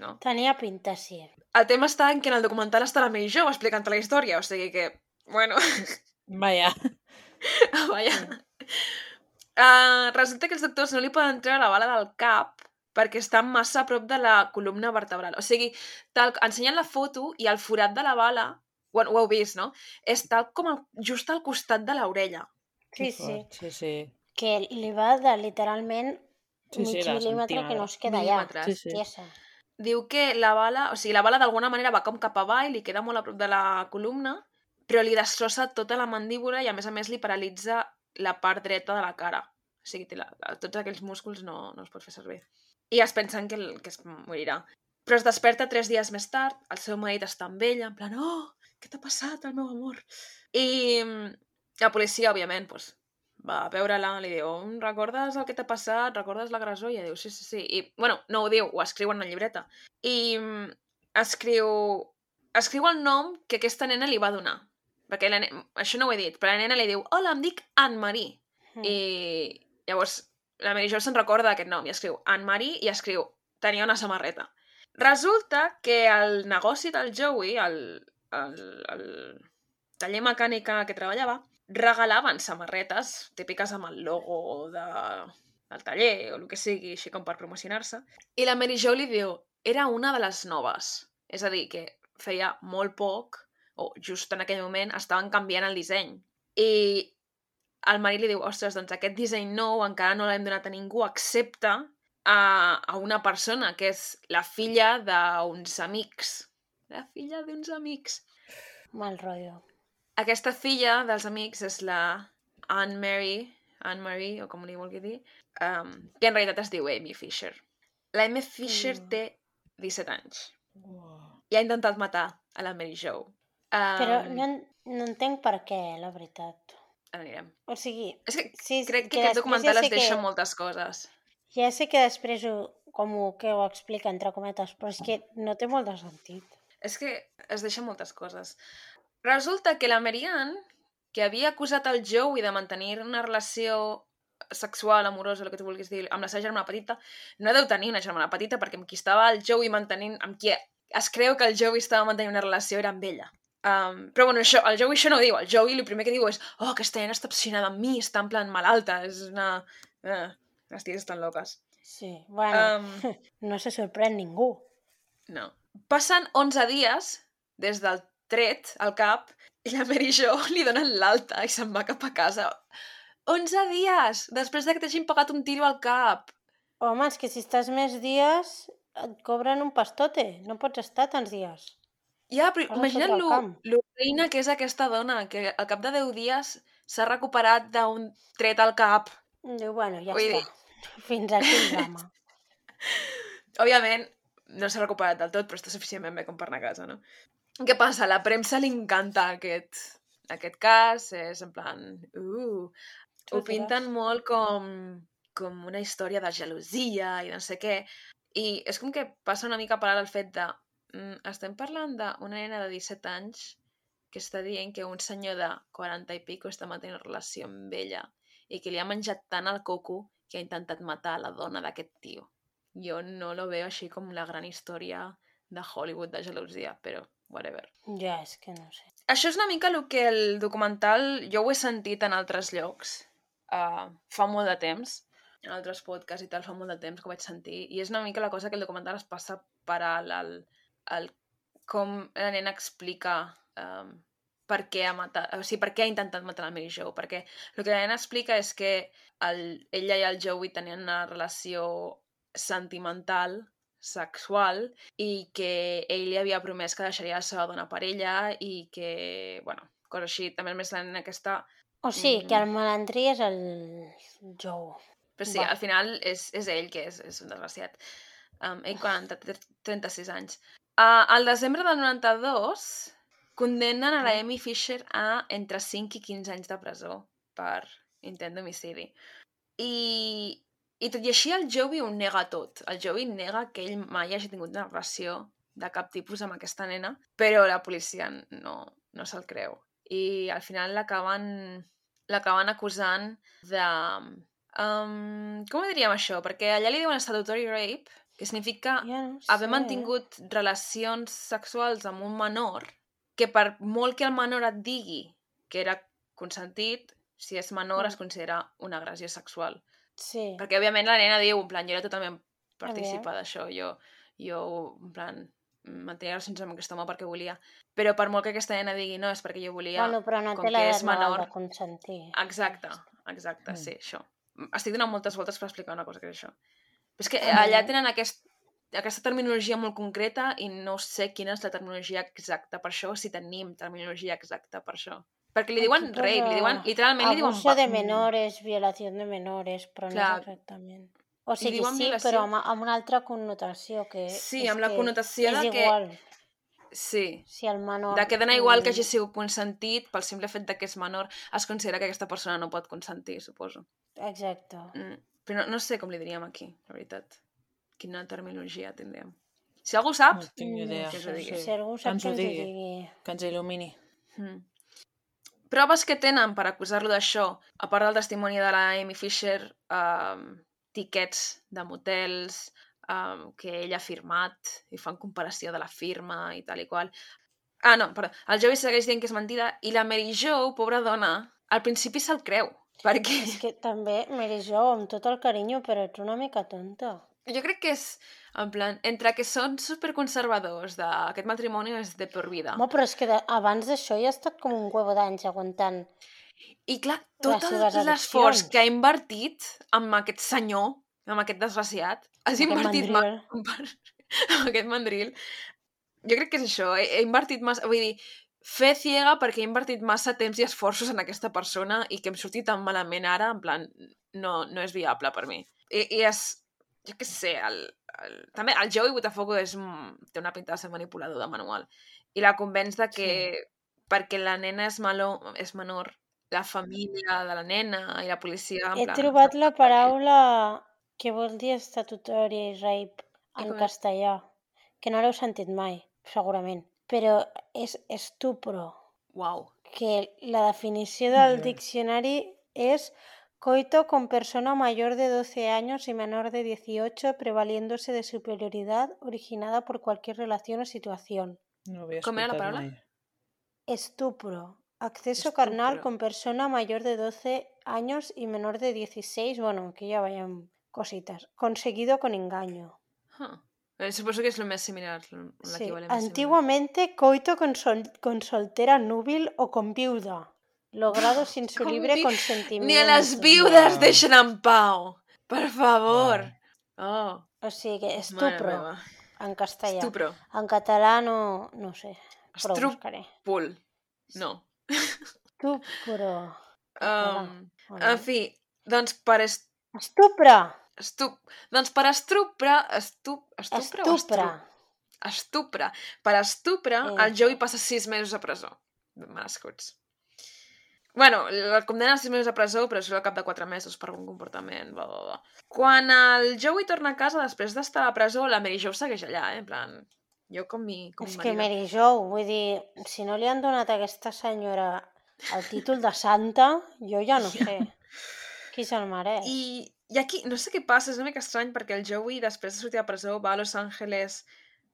[SPEAKER 1] No?
[SPEAKER 2] Tenia pinta, sí.
[SPEAKER 1] El tema està en que en el documental està la Mary Jo explicant la història, o sigui que, bueno...
[SPEAKER 3] Vaja.
[SPEAKER 1] Vaja. Uh, resulta que els doctors no li poden treure la bala del cap perquè està massa a prop de la columna vertebral. O sigui, tal, ensenyen la foto i el forat de la bala, ho, ho heu vist, no? És tal com el, just al costat de l'orella.
[SPEAKER 2] Sí,
[SPEAKER 3] Que
[SPEAKER 2] sí.
[SPEAKER 3] fort, sí, sí.
[SPEAKER 2] Que li va de literalment
[SPEAKER 3] Sí, sí,
[SPEAKER 2] mig
[SPEAKER 3] la
[SPEAKER 2] mil·límetre que no es queda allà.
[SPEAKER 1] Mil·límetres.
[SPEAKER 3] Sí, sí.
[SPEAKER 2] Tiesa.
[SPEAKER 1] Diu que la bala, o sigui, la bala d'alguna manera va com cap avall, li queda molt a prop de la columna, però li destrossa tota la mandíbula i a més a més li paralitza la part dreta de la cara. O sigui, té la, la, tots aquells músculs no, no els pot fer servir. I es pensen que, el, que es morirà. Però es desperta tres dies més tard, el seu marit està amb ella, en plan, oh, què t'ha passat, el meu amor? I mm, la policia, òbviament, doncs, va a veure-la, li diu, recordes el que t'ha passat? Recordes l'agressor? I ella diu, sí, sí, sí. I, bueno, no ho diu, ho escriu en una llibreta. I mm, escriu... escriu el nom que aquesta nena li va donar. Perquè la nena... això no ho he dit, però la nena li diu, hola, em dic Anne-Marie.
[SPEAKER 2] Mm.
[SPEAKER 1] I llavors la Mary Jo se'n recorda d'aquest nom i escriu Anne-Marie i escriu tenia una samarreta. Resulta que el negoci del Joey, el, el, el taller mecànic en el que treballava, regalaven samarretes típiques amb el logo de, del taller o el que sigui, així com per promocionar-se. I la Mary Jo li diu, era una de les noves. És a dir, que feia molt poc, o just en aquell moment, estaven canviant el disseny. I el marit li diu, ostres, doncs aquest disseny nou encara no l'hem donat a ningú, excepte a, a una persona, que és la filla d'uns amics. La filla d'uns amics.
[SPEAKER 2] Mal rotllo.
[SPEAKER 1] Aquesta filla dels amics és la Anne Mary Anne-Marie, o com li vulgui dir, um, que en realitat es diu Amy Fisher. La Amy Fisher
[SPEAKER 2] Mm.
[SPEAKER 1] té disset anys
[SPEAKER 3] Uau.
[SPEAKER 1] i ha intentat matar a la Mary Jo. Um,
[SPEAKER 2] Però no, en- no entenc per què, la veritat.
[SPEAKER 1] Ara anirem.
[SPEAKER 2] O sigui,
[SPEAKER 1] És que
[SPEAKER 2] sí,
[SPEAKER 1] crec que
[SPEAKER 2] que
[SPEAKER 1] aquest
[SPEAKER 2] després
[SPEAKER 1] documental
[SPEAKER 2] ja
[SPEAKER 1] es
[SPEAKER 2] sé
[SPEAKER 1] deixa
[SPEAKER 2] que,
[SPEAKER 1] moltes coses.
[SPEAKER 2] ja sé que després ho, com ho, que ho explica, entre cometes, però és que no té molt de sentit.
[SPEAKER 1] És que es deixa moltes coses. Resulta que la Marianne, que havia acusat el Joey de mantenir una relació sexual, amorosa, el que tu vulguis dir, amb la seva germana petita, no deu tenir una germana petita, perquè amb qui estava el Joey mantenint, amb qui es creu que el Joey estava mantenint una relació era amb ella. Um, però bueno, això, el Joey això no ho diu. El Joey el primer que diu és oh, aquesta nena està obsessionada amb mi, està en plan malalta, és una... Eh, les ties estan loques.
[SPEAKER 2] Sí, bueno,
[SPEAKER 1] Um,
[SPEAKER 2] no se sorprèn ningú.
[SPEAKER 1] no. Passen onze dies des del tret al cap i la Mary Jo li donen l'alta i se'n va cap a casa. onze dies! Després de que t'hagin pagat un tiro al cap.
[SPEAKER 2] Home, és que si estàs més dies et cobren un pastote, no pots estar tants dies.
[SPEAKER 1] Ja, però
[SPEAKER 2] Has de
[SPEAKER 1] imagina't
[SPEAKER 2] fotre el
[SPEAKER 1] lo,
[SPEAKER 2] camp.
[SPEAKER 1] lo reina que és aquesta dona, que al cap de deu dies s'ha recuperat d'un tret al cap.
[SPEAKER 2] Diu, bueno, ja
[SPEAKER 1] Vull
[SPEAKER 2] està. Fins aquí el drama.
[SPEAKER 1] Òbviament, no s'ha recuperat del tot, però està suficientment bé com per anar a casa, no? Què passa? A la premsa li encanta aquest, aquest cas, és en plan... Uh, ho pinten molt com, com una història de gelosia i no sé què, i és com que passa una mica a parar el fet de mm, estem parlant d'una nena de disset anys que està dient que un senyor de quaranta i pico està mantenint una relació amb ella i que li ha menjat tant el coco que ha intentat matar la dona d'aquest tio. Jo no lo veo així com la gran història de Hollywood de gelosia, però whatever.
[SPEAKER 2] Ja, és que no sé.
[SPEAKER 1] Això és una mica el que el documental jo ho he sentit en altres llocs uh, fa molt de temps, en altres podcasts i tal, fa molt de temps que ho vaig sentir, i és una mica la cosa que el documental es passa per al, al, al com la nena explica um, per què ha matat, o sigui, per què ha intentat matar la Mary Jo, perquè el que la nena explica és que el, ella i el Joey tenien una relació sentimental, sexual, i que ell li havia promès que deixaria la seva dona per ella i que, bueno, cosa així. També a més la nena aquesta...
[SPEAKER 2] O sigui, que el malandrí és el Joe.
[SPEAKER 1] Però sí,
[SPEAKER 2] Va.
[SPEAKER 1] al final és, és ell que és, és un desgraciat. Um, ell quaranta, trenta-sis anys. Uh, al desembre del noranta-dos condemnen a la Amy Fisher a entre cinc i quinze anys de presó per intent d'homicidi. I, I tot i així el Joey ho nega tot. El Joey nega que ell mai hagi tingut una relació de cap tipus amb aquesta nena, però la policia no, no se'l creu. I al final l'acaben l'acaben acusant de... Um, com ho diríem això? Perquè allà li diuen statutory rape, que significa
[SPEAKER 2] Ja no
[SPEAKER 1] haver
[SPEAKER 2] sé.
[SPEAKER 1] mantingut relacions sexuals amb un menor, que per molt que el menor et digui que era consentit, si és menor
[SPEAKER 2] Mm.
[SPEAKER 1] es considera una agressió sexual.
[SPEAKER 2] Sí.
[SPEAKER 1] Perquè, òbviament, la nena diu, en plan, jo era totalment
[SPEAKER 2] A
[SPEAKER 1] partícipa d'això, jo, jo, en plan, mantenia relacions amb aquest home perquè volia. Però per molt que aquesta nena digui no, és perquè jo volia,
[SPEAKER 2] Bueno, però no
[SPEAKER 1] com
[SPEAKER 2] té
[SPEAKER 1] que és
[SPEAKER 2] l'edat legal
[SPEAKER 1] menor...
[SPEAKER 2] de consentir.
[SPEAKER 1] Exacte, exacte,
[SPEAKER 3] Mm.
[SPEAKER 1] sí, això. Estic donant moltes voltes per explicar una cosa que és això. Però és que
[SPEAKER 2] Ah,
[SPEAKER 1] allà
[SPEAKER 2] bé.
[SPEAKER 1] tenen aquest, aquesta terminologia molt concreta i no sé quina és la terminologia exacta per això, si tenim terminologia exacta per això. Perquè li diuen
[SPEAKER 2] Aquí
[SPEAKER 1] rape,
[SPEAKER 2] posa
[SPEAKER 1] li diuen, literalment li diuen...
[SPEAKER 2] abuso
[SPEAKER 1] va-
[SPEAKER 2] de menores, violació de menores, però
[SPEAKER 1] Clar.
[SPEAKER 2] no és exactament. O
[SPEAKER 1] Li
[SPEAKER 2] sigui,
[SPEAKER 1] diuen
[SPEAKER 2] sí,
[SPEAKER 1] violació.
[SPEAKER 2] però amb, amb una altra connotació, que
[SPEAKER 1] Sí,
[SPEAKER 2] és
[SPEAKER 1] amb la
[SPEAKER 2] que
[SPEAKER 1] connotació
[SPEAKER 2] és
[SPEAKER 1] de que-
[SPEAKER 2] igual
[SPEAKER 1] Sí,
[SPEAKER 2] si el menor...
[SPEAKER 1] de que dona igual que hagi
[SPEAKER 2] mm,
[SPEAKER 1] sigut consentit, pel simple fet de que és menor, es considera que aquesta persona no pot consentir, suposo.
[SPEAKER 2] Exacte.
[SPEAKER 1] Mm. Però no, no sé com li diríem aquí, la veritat. Quina terminologia tindríem. Si algú sap,
[SPEAKER 3] No tinc idea.
[SPEAKER 1] que us ho digui.
[SPEAKER 2] Si algú sap
[SPEAKER 3] ens
[SPEAKER 2] que
[SPEAKER 3] ho
[SPEAKER 2] ens ho
[SPEAKER 3] digui.
[SPEAKER 2] digui.
[SPEAKER 3] Que ens il·lumini.
[SPEAKER 1] Mm. Proves que tenen per acusar-lo d'això, a part del testimoni de la Amy Fisher, um, tiquets de motels, um, que ell ha firmat, i fan comparació de la firma i tal i qual. Ah, no, perdó. El Joey segueix dient que és mentida, i la Mary Jo, pobra dona, al principi se'l creu, perquè...
[SPEAKER 2] És que també, Mary Jo, amb tot el carinyo, però ets una mica tonta.
[SPEAKER 1] Jo crec que és, en plan, entre que són superconservadors d'aquest matrimoni és de per vida.
[SPEAKER 2] Home, però és que de, abans d'això ja ha estat com un huevo d'anys aguantant.
[SPEAKER 1] I clar,
[SPEAKER 2] Les
[SPEAKER 1] tot
[SPEAKER 2] seves
[SPEAKER 1] l'esforç
[SPEAKER 2] addiccions.
[SPEAKER 1] que ha invertit amb aquest senyor, amb aquest desgraciat, has
[SPEAKER 2] Amb aquest
[SPEAKER 1] invertit
[SPEAKER 2] mandril.
[SPEAKER 1] massa amb aquest mandril. Jo crec que és això, he, he invertit massa... Vull dir, fe ciega perquè he invertit massa temps i esforços en aquesta persona i que em surti tan malament ara, en plan, no, no és viable per mi. I, i és, jo què sé, el, el, també el Joey Botafogo és, té una pinta de ser manipulador de manual i la convenç de que sí. perquè la nena és, malo, és menor, la família de la nena i la policia... En
[SPEAKER 2] He
[SPEAKER 1] plan,
[SPEAKER 2] trobat la paraula que vol dir estatutari rape en
[SPEAKER 1] com és?
[SPEAKER 2] castellà, que no l'heu sentit mai, segurament, però és estupro.
[SPEAKER 1] Uau.
[SPEAKER 2] Que la definició del
[SPEAKER 3] Jo.
[SPEAKER 2] diccionari és coito con persona mayor de doce años y menor de dieciocho prevaliéndose de superioridad originada por cualquier relación o situación.
[SPEAKER 3] No havia
[SPEAKER 1] Com era la
[SPEAKER 3] escoltat
[SPEAKER 1] paraula?
[SPEAKER 3] mai.
[SPEAKER 2] Estupro. Acceso
[SPEAKER 1] Estupro.
[SPEAKER 2] carnal con persona mayor de doce años y menor de dieciséis. Bueno, aquí ya vayan cositas. Conseguido con engaño.
[SPEAKER 1] Huh. Eh, suposo que és el més similar,
[SPEAKER 2] Sí.
[SPEAKER 1] l'equivalent més
[SPEAKER 2] Antiguamente, coito con, sol con soltera núbil o con viuda. Logrado sin su
[SPEAKER 1] Com
[SPEAKER 2] libre
[SPEAKER 1] vi...
[SPEAKER 2] consentimiento.
[SPEAKER 1] Ni a les viudes
[SPEAKER 3] Wow.
[SPEAKER 1] deixen en pau. Per favor. Oh,
[SPEAKER 2] O sigui que
[SPEAKER 1] mare
[SPEAKER 2] estupro,
[SPEAKER 1] meva.
[SPEAKER 2] en castellà.
[SPEAKER 1] Estupro.
[SPEAKER 2] En català no, no ho sé, però ho buscaré.
[SPEAKER 1] Estrúpol. No.
[SPEAKER 2] Estupro.
[SPEAKER 1] Um,
[SPEAKER 2] o
[SPEAKER 1] en
[SPEAKER 2] no?
[SPEAKER 1] fi, doncs per... Est...
[SPEAKER 2] Estupre!
[SPEAKER 1] Estup... Doncs per estupre... Estup... Estupre o
[SPEAKER 2] Estupre.
[SPEAKER 1] estupre? Estupre. Per estupre,
[SPEAKER 2] Eh.
[SPEAKER 1] el Joey passa sis mesos a presó. Merescuts. Bueno, el condena a sis mesos a presó, però surt al cap de quatre mesos per un comportament, bla, bla, bla. Quan el Joey torna a casa, després d'estar a la presó, la Mary Jo segueix allà, eh? En plan, jo com mi, com
[SPEAKER 2] És
[SPEAKER 1] mi
[SPEAKER 2] que
[SPEAKER 1] marida.
[SPEAKER 2] Mary Jo, vull dir, si no li han donat a aquesta senyora el títol de santa, jo ja no sé. Qui se'l mereix?
[SPEAKER 1] I, I aquí, no sé què passa, és una mica estrany, perquè el Joey, després de sortir a presó, va a Los Angeles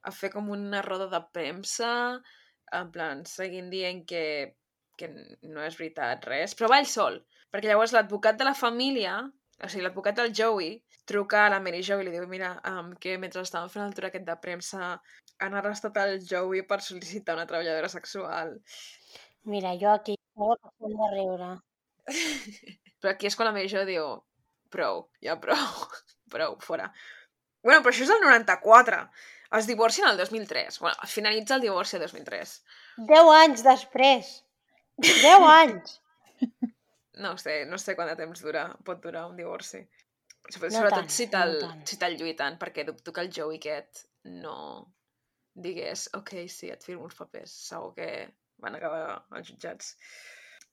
[SPEAKER 1] a fer com una roda de premsa, en plan, seguint dient que, que no és veritat res, però va ell sol, perquè llavors l'advocat de la família, o sigui, l'advocat del Joey, truca a la Mary Jo i li diu, mira, um, que mentre estaven fent el tour aquest de premsa han arrestat el Joey per sol·licitar una treballadora sexual.
[SPEAKER 2] Mira, jo aquí estava passant de riure.
[SPEAKER 1] Però aquí és quan la Mary Jo diu, prou, ja prou, prou, fora. Bueno, però això és el noranta-quatre. Es divorcien el dos mil tres. Bueno, finalitza el divorci el dos mil tres.
[SPEAKER 2] Deu anys després. Deu anys.
[SPEAKER 1] No sé, no sé quant de temps dura, pot durar un divorci. Sobretot
[SPEAKER 2] No tant,
[SPEAKER 1] si te'l
[SPEAKER 2] no tant.
[SPEAKER 1] si te'l lluiten, perquè dubto que el Joey aquest no digués, ok, sí, et firmo uns papers. Segur que van acabar als jutjats.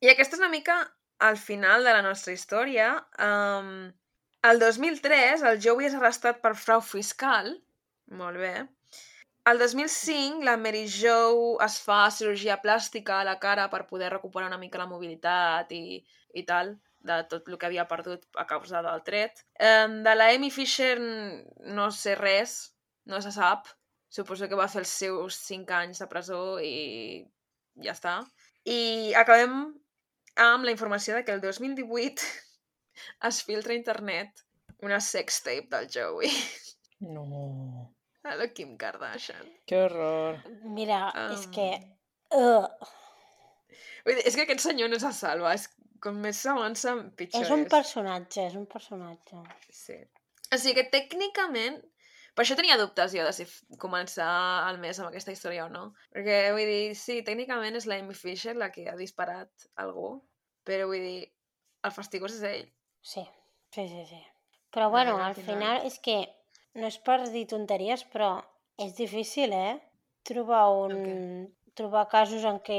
[SPEAKER 1] I aquesta és una mica al final de la nostra història. Um, el dos mil tres el Joey és arrestat per frau fiscal. Molt bé. El dos mil cinc la Mary Jo es fa cirurgia plàstica a la cara per poder recuperar una mica la mobilitat i, i tal, de tot el que havia perdut a causa del tret. Um, de la Amy Fisher no sé res, no se sap. Suposo que va fer els seus cinc anys de presó i ja està. I acabem amb la informació de que el dos mil divuit es filtra a internet una sextape del Joey.
[SPEAKER 3] No.
[SPEAKER 1] A la Kim Kardashian.
[SPEAKER 3] Que horror.
[SPEAKER 2] Mira,
[SPEAKER 1] Um,
[SPEAKER 2] és que... Uh,
[SPEAKER 1] Vull dir, és que aquest senyor no se salva. És, com més s'avança, pitjor
[SPEAKER 2] és un personatge, és un personatge.
[SPEAKER 1] Sí. O sigui que tècnicament... Per això tenia dubtes jo de si f- començar el mes amb aquesta història o no. Perquè, vull dir, sí, tècnicament és la Amy Fisher la que ha disparat algú, però vull dir, el fastigós és ell.
[SPEAKER 2] Sí, sí, sí, sí. Però bueno,
[SPEAKER 1] Veure,
[SPEAKER 2] al final és que no és per dir tonteries, però és difícil, eh? Trobar un...
[SPEAKER 1] Ok.
[SPEAKER 2] trobar casos en què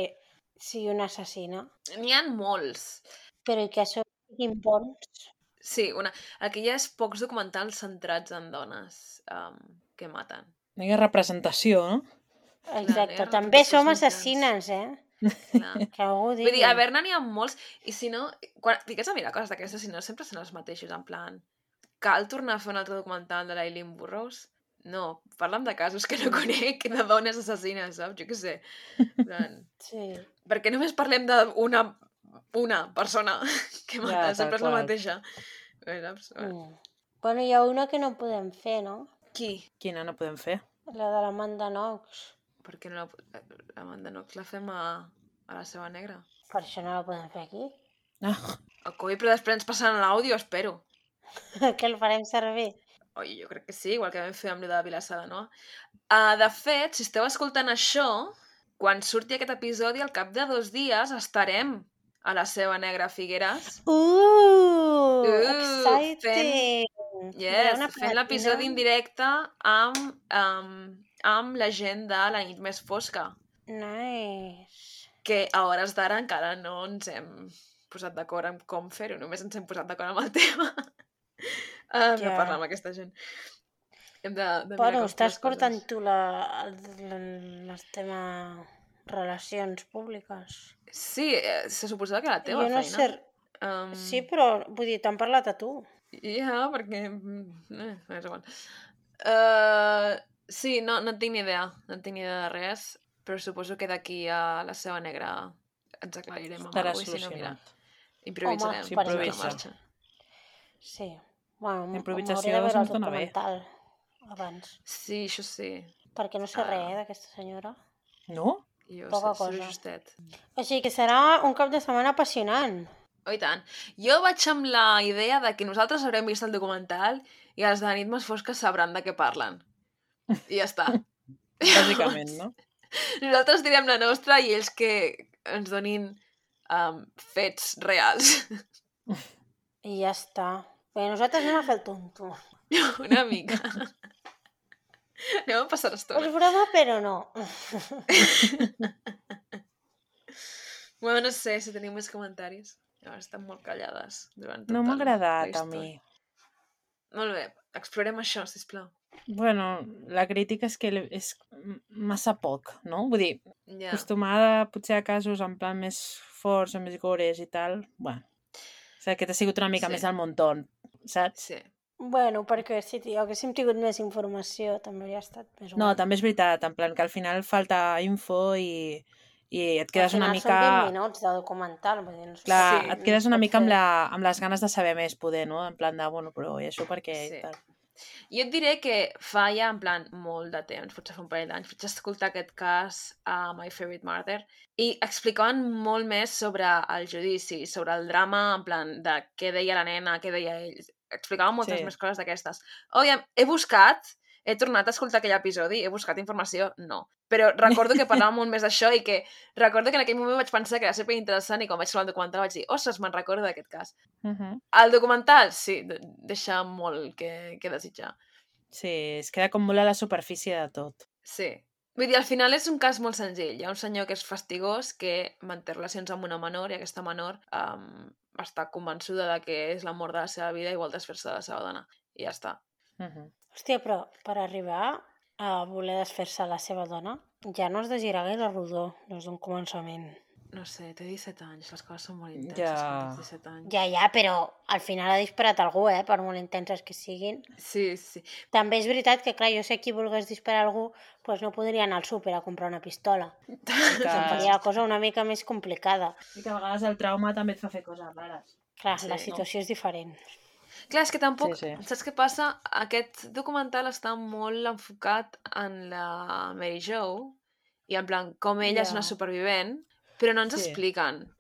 [SPEAKER 2] sigui una assassina.
[SPEAKER 1] N'hi ha molts.
[SPEAKER 2] Però i que això siguin bons.
[SPEAKER 1] Sí, una... aquí hi ha pocs documentals centrats en dones um, que maten.
[SPEAKER 3] No hi ha representació, no?
[SPEAKER 2] Exacte,
[SPEAKER 1] no hi ha
[SPEAKER 2] també
[SPEAKER 1] representació
[SPEAKER 2] som
[SPEAKER 1] als mitjans.
[SPEAKER 2] assassines, eh?
[SPEAKER 1] Clar.
[SPEAKER 2] Que algú digui.
[SPEAKER 1] Vull dir, a veure, n'hi ha molts, i si no, quan fiques a mirar coses d'aquestes, si no, sempre són els mateixos, en plan, cal tornar a fer un altre documental de l'Aileen Burroughs? No, parla'm de casos que no conec, de dones assassines, saps? Jo què sé. En plan,
[SPEAKER 2] Sí.
[SPEAKER 1] perquè només parlem d'una una persona que mata,
[SPEAKER 3] Ja, tal
[SPEAKER 1] sempre és la
[SPEAKER 3] qual.
[SPEAKER 1] mateixa. Bé, saps?
[SPEAKER 2] Mm. Bueno, hi ha una que no podem fer, no?
[SPEAKER 1] Qui?
[SPEAKER 3] Quina no podem fer?
[SPEAKER 2] La de l'Amanda Knox.
[SPEAKER 1] Per què no la, l'Amanda Knox la fem a, a la seva negra?
[SPEAKER 2] Per això no la podem fer aquí.
[SPEAKER 3] Ah,
[SPEAKER 1] El coi, però després ens passaran l'àudio, espero.
[SPEAKER 2] Que el farem servir.
[SPEAKER 1] Oi, jo crec que sí, igual que vam fer amb lo de Vilassar de Noa. Uh, de fet, si esteu escoltant això, quan surti aquest episodi, al cap de dos dies estarem a la Seva Negra Figueres.
[SPEAKER 2] Uh,
[SPEAKER 1] Uh,
[SPEAKER 2] exciting!
[SPEAKER 1] Yes,
[SPEAKER 2] Una
[SPEAKER 1] fent l'episodi en
[SPEAKER 2] palatina.
[SPEAKER 1] directe amb, um, amb la gent de La nit més fosca,
[SPEAKER 2] Nice.
[SPEAKER 1] que a hores d'ara encara no ens hem posat d'acord en com fer-ho, només ens hem posat d'acord amb el tema. uh,
[SPEAKER 2] Ja.
[SPEAKER 1] No parlar amb aquesta gent. Hem de, de mirar
[SPEAKER 2] Bueno,
[SPEAKER 1] com fer
[SPEAKER 2] estàs
[SPEAKER 1] les
[SPEAKER 2] portant
[SPEAKER 1] coses.
[SPEAKER 2] tu la, el, el, el tema relacions públiques.
[SPEAKER 1] Sí, eh, se suposava que era la teva
[SPEAKER 2] Jo no
[SPEAKER 1] feina.
[SPEAKER 2] sé...
[SPEAKER 1] Um,
[SPEAKER 2] Sí, però vull dir, t'han parlat a tu.
[SPEAKER 1] Ja, perquè... mm, Eh, és igual. Uh, sí, no, no en tinc ni idea. No en tinc ni idea de res, però suposo que d'aquí a la Seva Negra ens aclarirem amb
[SPEAKER 3] Estarà
[SPEAKER 1] alguna cosa, i si no, mira,
[SPEAKER 3] solucionat.
[SPEAKER 1] improvisarem.
[SPEAKER 2] Home, per
[SPEAKER 1] sobre la
[SPEAKER 3] improvisa.
[SPEAKER 1] marxa.
[SPEAKER 2] Sí. Bueno, m-
[SPEAKER 3] Improvisació
[SPEAKER 2] m'hauré de veure el
[SPEAKER 3] se'ns dona bé.
[SPEAKER 2] documental abans.
[SPEAKER 1] Sí, això sí.
[SPEAKER 2] Perquè no sé
[SPEAKER 1] Ah.
[SPEAKER 2] res eh, d'aquesta senyora.
[SPEAKER 3] No?
[SPEAKER 1] Jo
[SPEAKER 2] Poca
[SPEAKER 1] sé, sé
[SPEAKER 2] cosa.
[SPEAKER 1] justet.
[SPEAKER 2] Així que serà un cap de setmana apassionant.
[SPEAKER 1] Oh, i tant. Jo vaig amb la idea de que nosaltres haurem vist el documental i els de la nit més fosca sabran de què parlen. I ja està.
[SPEAKER 3] Bàsicament, no?
[SPEAKER 1] Nosaltres direm la nostra i ells que ens donin um, fets reals.
[SPEAKER 2] I ja està. Bé, nosaltres anem a fer el tonto.
[SPEAKER 1] Una mica. Anem a passar l'estona.
[SPEAKER 2] És broma, però no.
[SPEAKER 1] Bueno, no sé si tenim més comentaris. Llavors estan molt callades durant tota
[SPEAKER 3] No m'ha
[SPEAKER 1] la-
[SPEAKER 3] agradat
[SPEAKER 1] la
[SPEAKER 3] a mi.
[SPEAKER 1] història. Molt bé, explorem això, sisplau.
[SPEAKER 3] Bueno, la crítica és que és massa poc, no? Vull dir,
[SPEAKER 1] Ja.
[SPEAKER 3] acostumada potser a casos en plan més forts o més gores i tal, bueno. O sigui, aquest ha sigut una mica
[SPEAKER 1] Sí.
[SPEAKER 3] més del muntó, saps?
[SPEAKER 1] Sí.
[SPEAKER 2] Bueno, perquè si ti- haguéssim tingut més informació també hauria estat més
[SPEAKER 3] No,
[SPEAKER 2] guai.
[SPEAKER 3] també és veritat, en plan que al final falta info i, i et
[SPEAKER 2] Al
[SPEAKER 3] quedes una
[SPEAKER 2] final són vint
[SPEAKER 3] mica...
[SPEAKER 2] minuts de documental. Vull dir, no sé
[SPEAKER 3] Clar,
[SPEAKER 1] Sí.
[SPEAKER 3] et quedes una
[SPEAKER 2] pot
[SPEAKER 3] mica amb,
[SPEAKER 2] fer.
[SPEAKER 3] la, amb les ganes de saber més, poder, no? En plan de, bueno, però i això per què?
[SPEAKER 1] Sí.
[SPEAKER 3] I tal.
[SPEAKER 1] Jo et diré que fa ja, en plan, molt de temps, potser fa un parell d'anys, vaig escoltar aquest cas a My Favorite Murder i explicaven molt més sobre el judici, sobre el drama, en plan, de què deia la nena, què deia ell. Explicaven moltes
[SPEAKER 3] Sí.
[SPEAKER 1] més coses d'aquestes. Òbviament, he buscat, he tornat a escoltar aquell episodi, he buscat informació, no. Però recordo que parlàvem molt més d'això i que recordo que en aquell moment vaig pensar que era superinteressant i quan vaig trobar el documental vaig dir, ostres, me'n recordo d'aquest cas.
[SPEAKER 3] Uh -huh.
[SPEAKER 1] El documental, sí, de- deixa molt que, que desitjar.
[SPEAKER 3] Sí, es queda com molt a la superfície de tot.
[SPEAKER 1] Sí. Vull dir, al final és un cas molt senzill. Hi ha un senyor que és fastigós, que manté relacions amb una menor i aquesta menor um, està convençuda de que és l'amor de la seva vida i vol desfer-se de la seva dona. I ja està.
[SPEAKER 3] Uh -huh.
[SPEAKER 2] Hòstia, però per arribar a voler desfer-se la seva dona ja no has de girar gaire rodó des d'un començament.
[SPEAKER 1] No sé, té disset anys, les coses són molt intenses
[SPEAKER 3] Ja.
[SPEAKER 1] quan tens disset anys.
[SPEAKER 2] Ja, ja, però al final ha disparat algú, eh? Per molt intenses que siguin.
[SPEAKER 1] Sí, sí.
[SPEAKER 2] També és veritat que, clar, jo sé qui volgués disparar algú, doncs no podria anar al súper a comprar una pistola.
[SPEAKER 3] Que...
[SPEAKER 2] Em faria la cosa una mica més complicada.
[SPEAKER 3] I que a vegades el trauma també et fa fer coses rares.
[SPEAKER 2] Clar,
[SPEAKER 1] Sí,
[SPEAKER 2] la
[SPEAKER 1] no?
[SPEAKER 2] situació és diferent.
[SPEAKER 1] Clar, és que tampoc...
[SPEAKER 3] Sí, sí.
[SPEAKER 1] Saps què passa? Aquest documental està molt enfocat en la Mary Jo i en plan, com ella és
[SPEAKER 2] Ja.
[SPEAKER 1] una supervivent, però no ens
[SPEAKER 3] Sí.
[SPEAKER 1] expliquen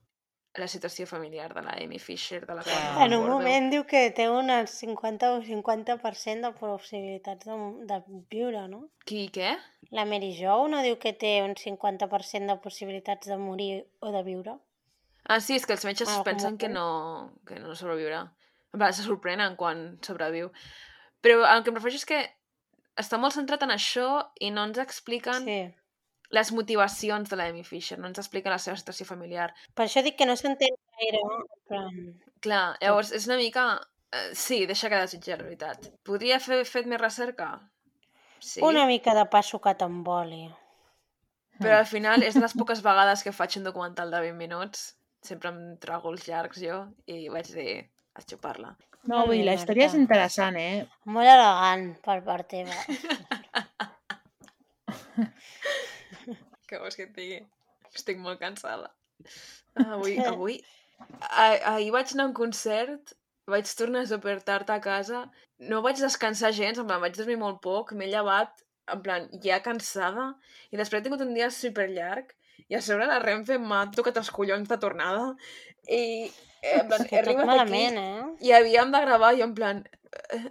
[SPEAKER 1] la situació familiar de la Amy Fisher, de la qual
[SPEAKER 3] Clar.
[SPEAKER 1] no
[SPEAKER 2] En un
[SPEAKER 1] recordo.
[SPEAKER 2] moment diu que té un cinquanta o cinquanta per cent de possibilitats de, de viure, no?
[SPEAKER 1] Qui, què?
[SPEAKER 2] La Mary Jo no diu que té un cinquanta per cent de possibilitats de morir o de viure?
[SPEAKER 1] Ah, sí, és que els metges
[SPEAKER 2] Ah,
[SPEAKER 1] pensen
[SPEAKER 2] com-
[SPEAKER 1] que no, que no sobreviurà. En plan, se sorprenen quan sobreviu. Però el que em refereixo és que està molt centrat en això i no ens expliquen
[SPEAKER 2] Sí.
[SPEAKER 1] les motivacions de la Amy Fisher, no ens expliquen la seva situació familiar.
[SPEAKER 2] Per això dic que no s'entén gaire, en plan...
[SPEAKER 1] Clar, llavors és una mica... eh, sí, deixa que desitjar, la veritat. Podria haver fet més recerca? Sí.
[SPEAKER 2] Una mica de pa sucat amb oli.
[SPEAKER 1] Però al final és de les poques vegades que faig un documental de vint minuts. Sempre em trago els llargs jo i vaig dir a xupar-la.
[SPEAKER 3] No,
[SPEAKER 2] Molt
[SPEAKER 3] vull dir,
[SPEAKER 2] bé,
[SPEAKER 3] la història és
[SPEAKER 2] Marta.
[SPEAKER 3] interessant, eh?
[SPEAKER 2] Molt elegant per part teva.
[SPEAKER 1] Què vols que et digui? Estic molt cansada. Avui, avui... Ah, ahir vaig anar a un concert, vaig tornar super tard a casa, no vaig descansar gens, en plan, vaig dormir molt poc, m'he llevat, en plan, ja cansada, i després he tingut un dia super llarg, i a sobre la Renfe m'ha tocat els collons de tornada, i eh, en plan,
[SPEAKER 2] És que
[SPEAKER 1] he
[SPEAKER 2] tot
[SPEAKER 1] arribat
[SPEAKER 2] malament,
[SPEAKER 1] aquí,
[SPEAKER 2] eh?
[SPEAKER 1] i havíem de gravar, i jo en plan, eh,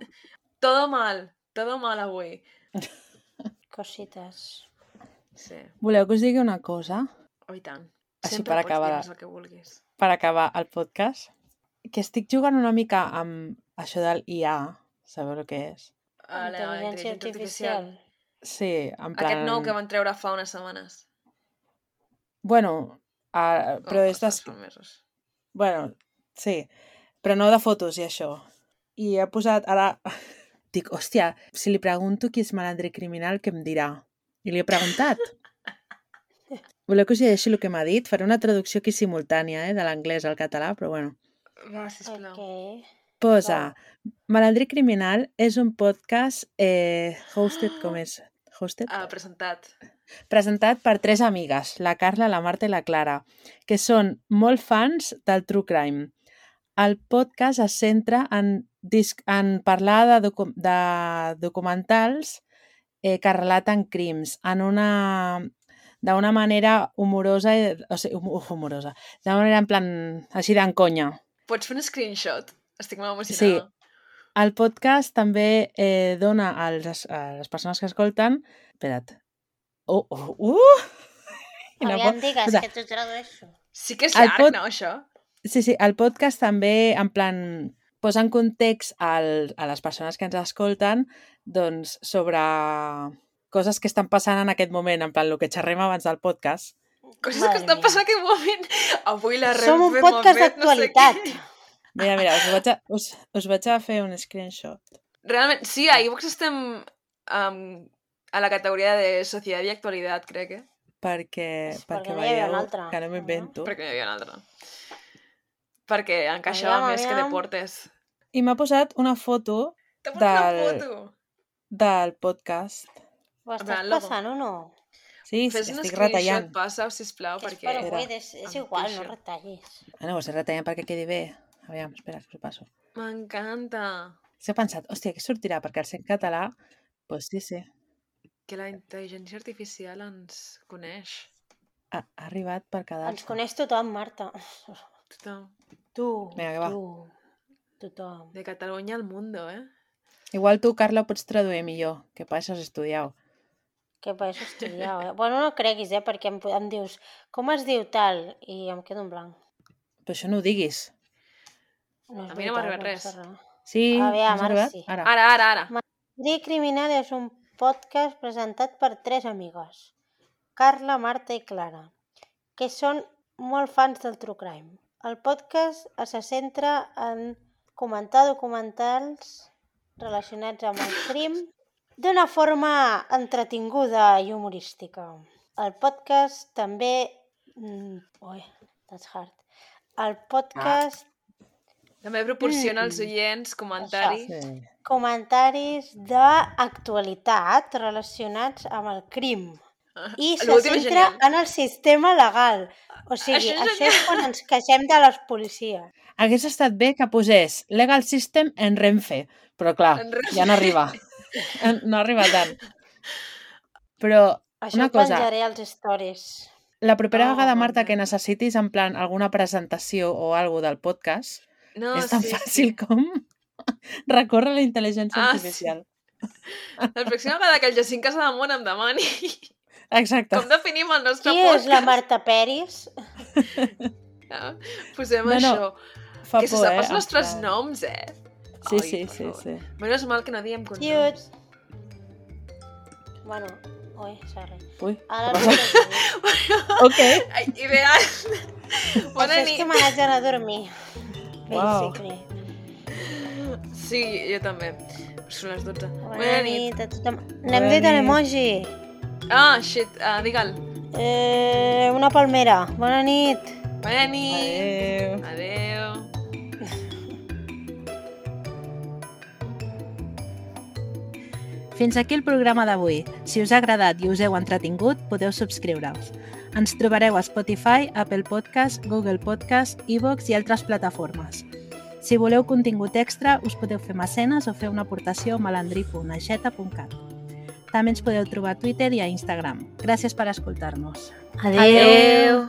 [SPEAKER 1] todo mal, todo mal avui.
[SPEAKER 2] Cosites.
[SPEAKER 1] Sí.
[SPEAKER 3] Voleu que us digui una cosa?
[SPEAKER 1] Oh, i tant.
[SPEAKER 3] Així
[SPEAKER 1] Sempre
[SPEAKER 3] per
[SPEAKER 1] pots
[SPEAKER 3] acabar.
[SPEAKER 1] dir-nos el que vulguis.
[SPEAKER 3] Per acabar el podcast, que estic jugant una mica amb això del I A, sabeu el que és?
[SPEAKER 1] A la
[SPEAKER 2] Intel·ligència artificial.
[SPEAKER 3] Sí, en plan...
[SPEAKER 1] Aquest nou que van treure fa unes setmanes.
[SPEAKER 3] Bueno, a... però
[SPEAKER 1] Oh,
[SPEAKER 3] és des...
[SPEAKER 1] fa mesos.
[SPEAKER 3] Bueno, sí, però no de fotos i això. I he posat ara... Dic, hòstia, si li pregunto qui és malandre criminal, què em dirà? I li he preguntat. Voleu que us llegeixi el que m'ha dit? Faré una traducció aquí simultània, eh, de l'anglès al català, però bueno.
[SPEAKER 1] Va, sisplau.
[SPEAKER 2] Ok.
[SPEAKER 3] Posa,
[SPEAKER 2] Va.
[SPEAKER 3] Malandre Criminal és un podcast eh, hosted, com és? Hosted?
[SPEAKER 1] Ah, presentat.
[SPEAKER 3] Presentat per tres amigues, la Carla, la Marta i la Clara, que són molt fans del True Crime. El podcast es centra en, disc, en parlar de, docu de documentals eh, que relaten crims en una d'una manera humorosa, o sigui, humorosa, d'una manera en plan, així d'enconya.
[SPEAKER 1] Pots fer un screenshot? Estic molt emocionada.
[SPEAKER 3] Sí. El podcast també eh, dona als, a les persones que escolten... Espera't. Oh, oh, uh!
[SPEAKER 2] Aviam, digues, o sea, que t'ho tradueixo.
[SPEAKER 1] Sí que és llarg,
[SPEAKER 3] pod...
[SPEAKER 1] no, això?
[SPEAKER 3] Sí, sí, el podcast també, en plan, posa en context al, a les persones que ens escolten, doncs, sobre coses que estan passant en aquest moment, en plan, el que xerrem abans del podcast.
[SPEAKER 1] Coses Madre que estan passant en aquest moment. Avui la Renfe...
[SPEAKER 2] Som un podcast d'actualitat.
[SPEAKER 3] No sé mira, mira, us vaig, a, us, us vaig a fer un screenshot.
[SPEAKER 1] Realment, sí, a iVoox estem um, a la categoria de societat i actualitat, crec, eh?
[SPEAKER 3] Perquè,
[SPEAKER 2] és
[SPEAKER 3] perquè,
[SPEAKER 2] perquè
[SPEAKER 3] veieu
[SPEAKER 2] altra,
[SPEAKER 3] que no m'invento.
[SPEAKER 1] No? Perquè n'hi havia una altra. Perquè encaixava aviam, més aviam. Que deportes.
[SPEAKER 3] I m'ha posat una foto
[SPEAKER 1] T'ha posat
[SPEAKER 3] del,
[SPEAKER 1] una foto?
[SPEAKER 3] Del podcast.
[SPEAKER 2] Ho estàs passant o no?
[SPEAKER 3] Sí,
[SPEAKER 1] Fes
[SPEAKER 3] estic retallant.
[SPEAKER 1] Fes un passa-ho, sisplau,
[SPEAKER 2] que és
[SPEAKER 1] perquè...
[SPEAKER 2] Per avui, és, és igual, no retallis.
[SPEAKER 3] Ah, no, ho estic retallant perquè quedi bé. Aviam, espera, que us ho passo.
[SPEAKER 1] M'encanta.
[SPEAKER 3] S'ha pensat, hòstia, què sortirà? Perquè al ser en català, doncs pues sí, sí.
[SPEAKER 1] Que la intel·ligència artificial ens coneix.
[SPEAKER 3] Ha, ha arribat per quedar-se.
[SPEAKER 2] Ens coneix tothom, Marta.
[SPEAKER 1] Tothom.
[SPEAKER 2] Tu,
[SPEAKER 3] Vinga,
[SPEAKER 2] tu, tothom.
[SPEAKER 1] De Catalunya al mundo, eh?
[SPEAKER 3] Igual tu, Carla, pots traduir millor, que pas has estudiat.
[SPEAKER 2] Que pas has estudiat, eh? Bueno, no creguis, eh? Perquè em, em dius, com es diu tal? I em quedo en blanc.
[SPEAKER 3] Però això no ho diguis.
[SPEAKER 2] No
[SPEAKER 1] a mi no m'ha arribat res.
[SPEAKER 3] Sí,
[SPEAKER 2] m'ha
[SPEAKER 3] arribat?
[SPEAKER 2] Sí.
[SPEAKER 3] Ara.
[SPEAKER 1] Ara, ara, ara.
[SPEAKER 2] Malandrí Criminal és un podcast presentat per tres amigues, Carla, Marta i Clara, que són molt fans del True Crime. El podcast se centra en comentar documentals relacionats amb el crim d'una forma entretinguda i humorística. El podcast també... Ui, that's hard. El podcast...
[SPEAKER 1] També proporciona als oients comentaris...
[SPEAKER 3] Sí.
[SPEAKER 2] Comentaris d'actualitat relacionats amb el crim. I se
[SPEAKER 1] L'últim és
[SPEAKER 2] centra
[SPEAKER 1] genial.
[SPEAKER 2] en el sistema legal. O sigui,
[SPEAKER 1] Això és
[SPEAKER 2] això és quan ens queixem de les policies.
[SPEAKER 3] Hagués estat bé que posés Legal System en Renfe, però clar,
[SPEAKER 1] En Renfe.
[SPEAKER 3] ja no arriba. No arriba tant. Però
[SPEAKER 2] Això
[SPEAKER 3] una
[SPEAKER 2] ho
[SPEAKER 3] cosa,
[SPEAKER 2] penjaré als stories.
[SPEAKER 3] la propera
[SPEAKER 1] Oh,
[SPEAKER 3] vegada,
[SPEAKER 1] bon
[SPEAKER 3] Marta,
[SPEAKER 1] dia.
[SPEAKER 3] que necessitis en plan alguna presentació o algo del podcast,
[SPEAKER 1] No,
[SPEAKER 3] és tan
[SPEAKER 1] sí,
[SPEAKER 3] fàcil
[SPEAKER 1] sí.
[SPEAKER 3] com recórrer a la intel·ligència
[SPEAKER 1] Ah,
[SPEAKER 3] artificial.
[SPEAKER 1] La pròxima vegada que el Jacint Casademont em demani
[SPEAKER 3] Exacte.
[SPEAKER 1] com definim el nostre
[SPEAKER 2] Qui
[SPEAKER 1] podcast.
[SPEAKER 2] és la Marta Peris?
[SPEAKER 1] Ah, posem
[SPEAKER 3] No, no,
[SPEAKER 1] això.
[SPEAKER 3] Fa
[SPEAKER 1] Que se
[SPEAKER 3] por,
[SPEAKER 1] sap
[SPEAKER 3] eh?
[SPEAKER 1] els nostres
[SPEAKER 3] en plan-
[SPEAKER 1] noms, eh?
[SPEAKER 3] Sí,
[SPEAKER 1] Ai,
[SPEAKER 3] sí,
[SPEAKER 1] per
[SPEAKER 3] sí,
[SPEAKER 1] favor.
[SPEAKER 3] sí.
[SPEAKER 1] Menos mal que no diem
[SPEAKER 2] Cute.
[SPEAKER 1] cognoms.
[SPEAKER 2] Bueno, ui, sorry.
[SPEAKER 3] Ui,
[SPEAKER 2] Ara
[SPEAKER 3] què
[SPEAKER 2] no
[SPEAKER 3] passa?
[SPEAKER 2] sé dir.
[SPEAKER 3] Ok.
[SPEAKER 1] Ai, ideal. Bona
[SPEAKER 2] Això és que
[SPEAKER 1] nit.
[SPEAKER 2] me n'haig d'anar a dormir.
[SPEAKER 3] Uau.
[SPEAKER 2] Basically.
[SPEAKER 1] Sí, jo també. Són les dotze.
[SPEAKER 2] Bona nit a tothom.
[SPEAKER 3] Bona
[SPEAKER 2] N'hem dit
[SPEAKER 3] nit.
[SPEAKER 2] l'emoji.
[SPEAKER 1] Ah, shit, uh, digue'l.
[SPEAKER 2] Eh, una palmera. Bona nit.
[SPEAKER 1] Bona nit.
[SPEAKER 3] Adéu.
[SPEAKER 1] Adéu.
[SPEAKER 3] Fins aquí el programa d'avui. Si us ha agradat i us heu entretingut, podeu subscriure-us. Ens trobareu a Spotify, Apple Podcast, Google Podcast, iVoox i altres plataformes. Si voleu contingut extra, us podeu fer mecenes o fer una aportació a malandrí punt aixeta punt cat. També ens podeu trobar a Twitter i a Instagram. Gràcies per escoltar-nos.
[SPEAKER 2] Adéu.
[SPEAKER 1] Adéu.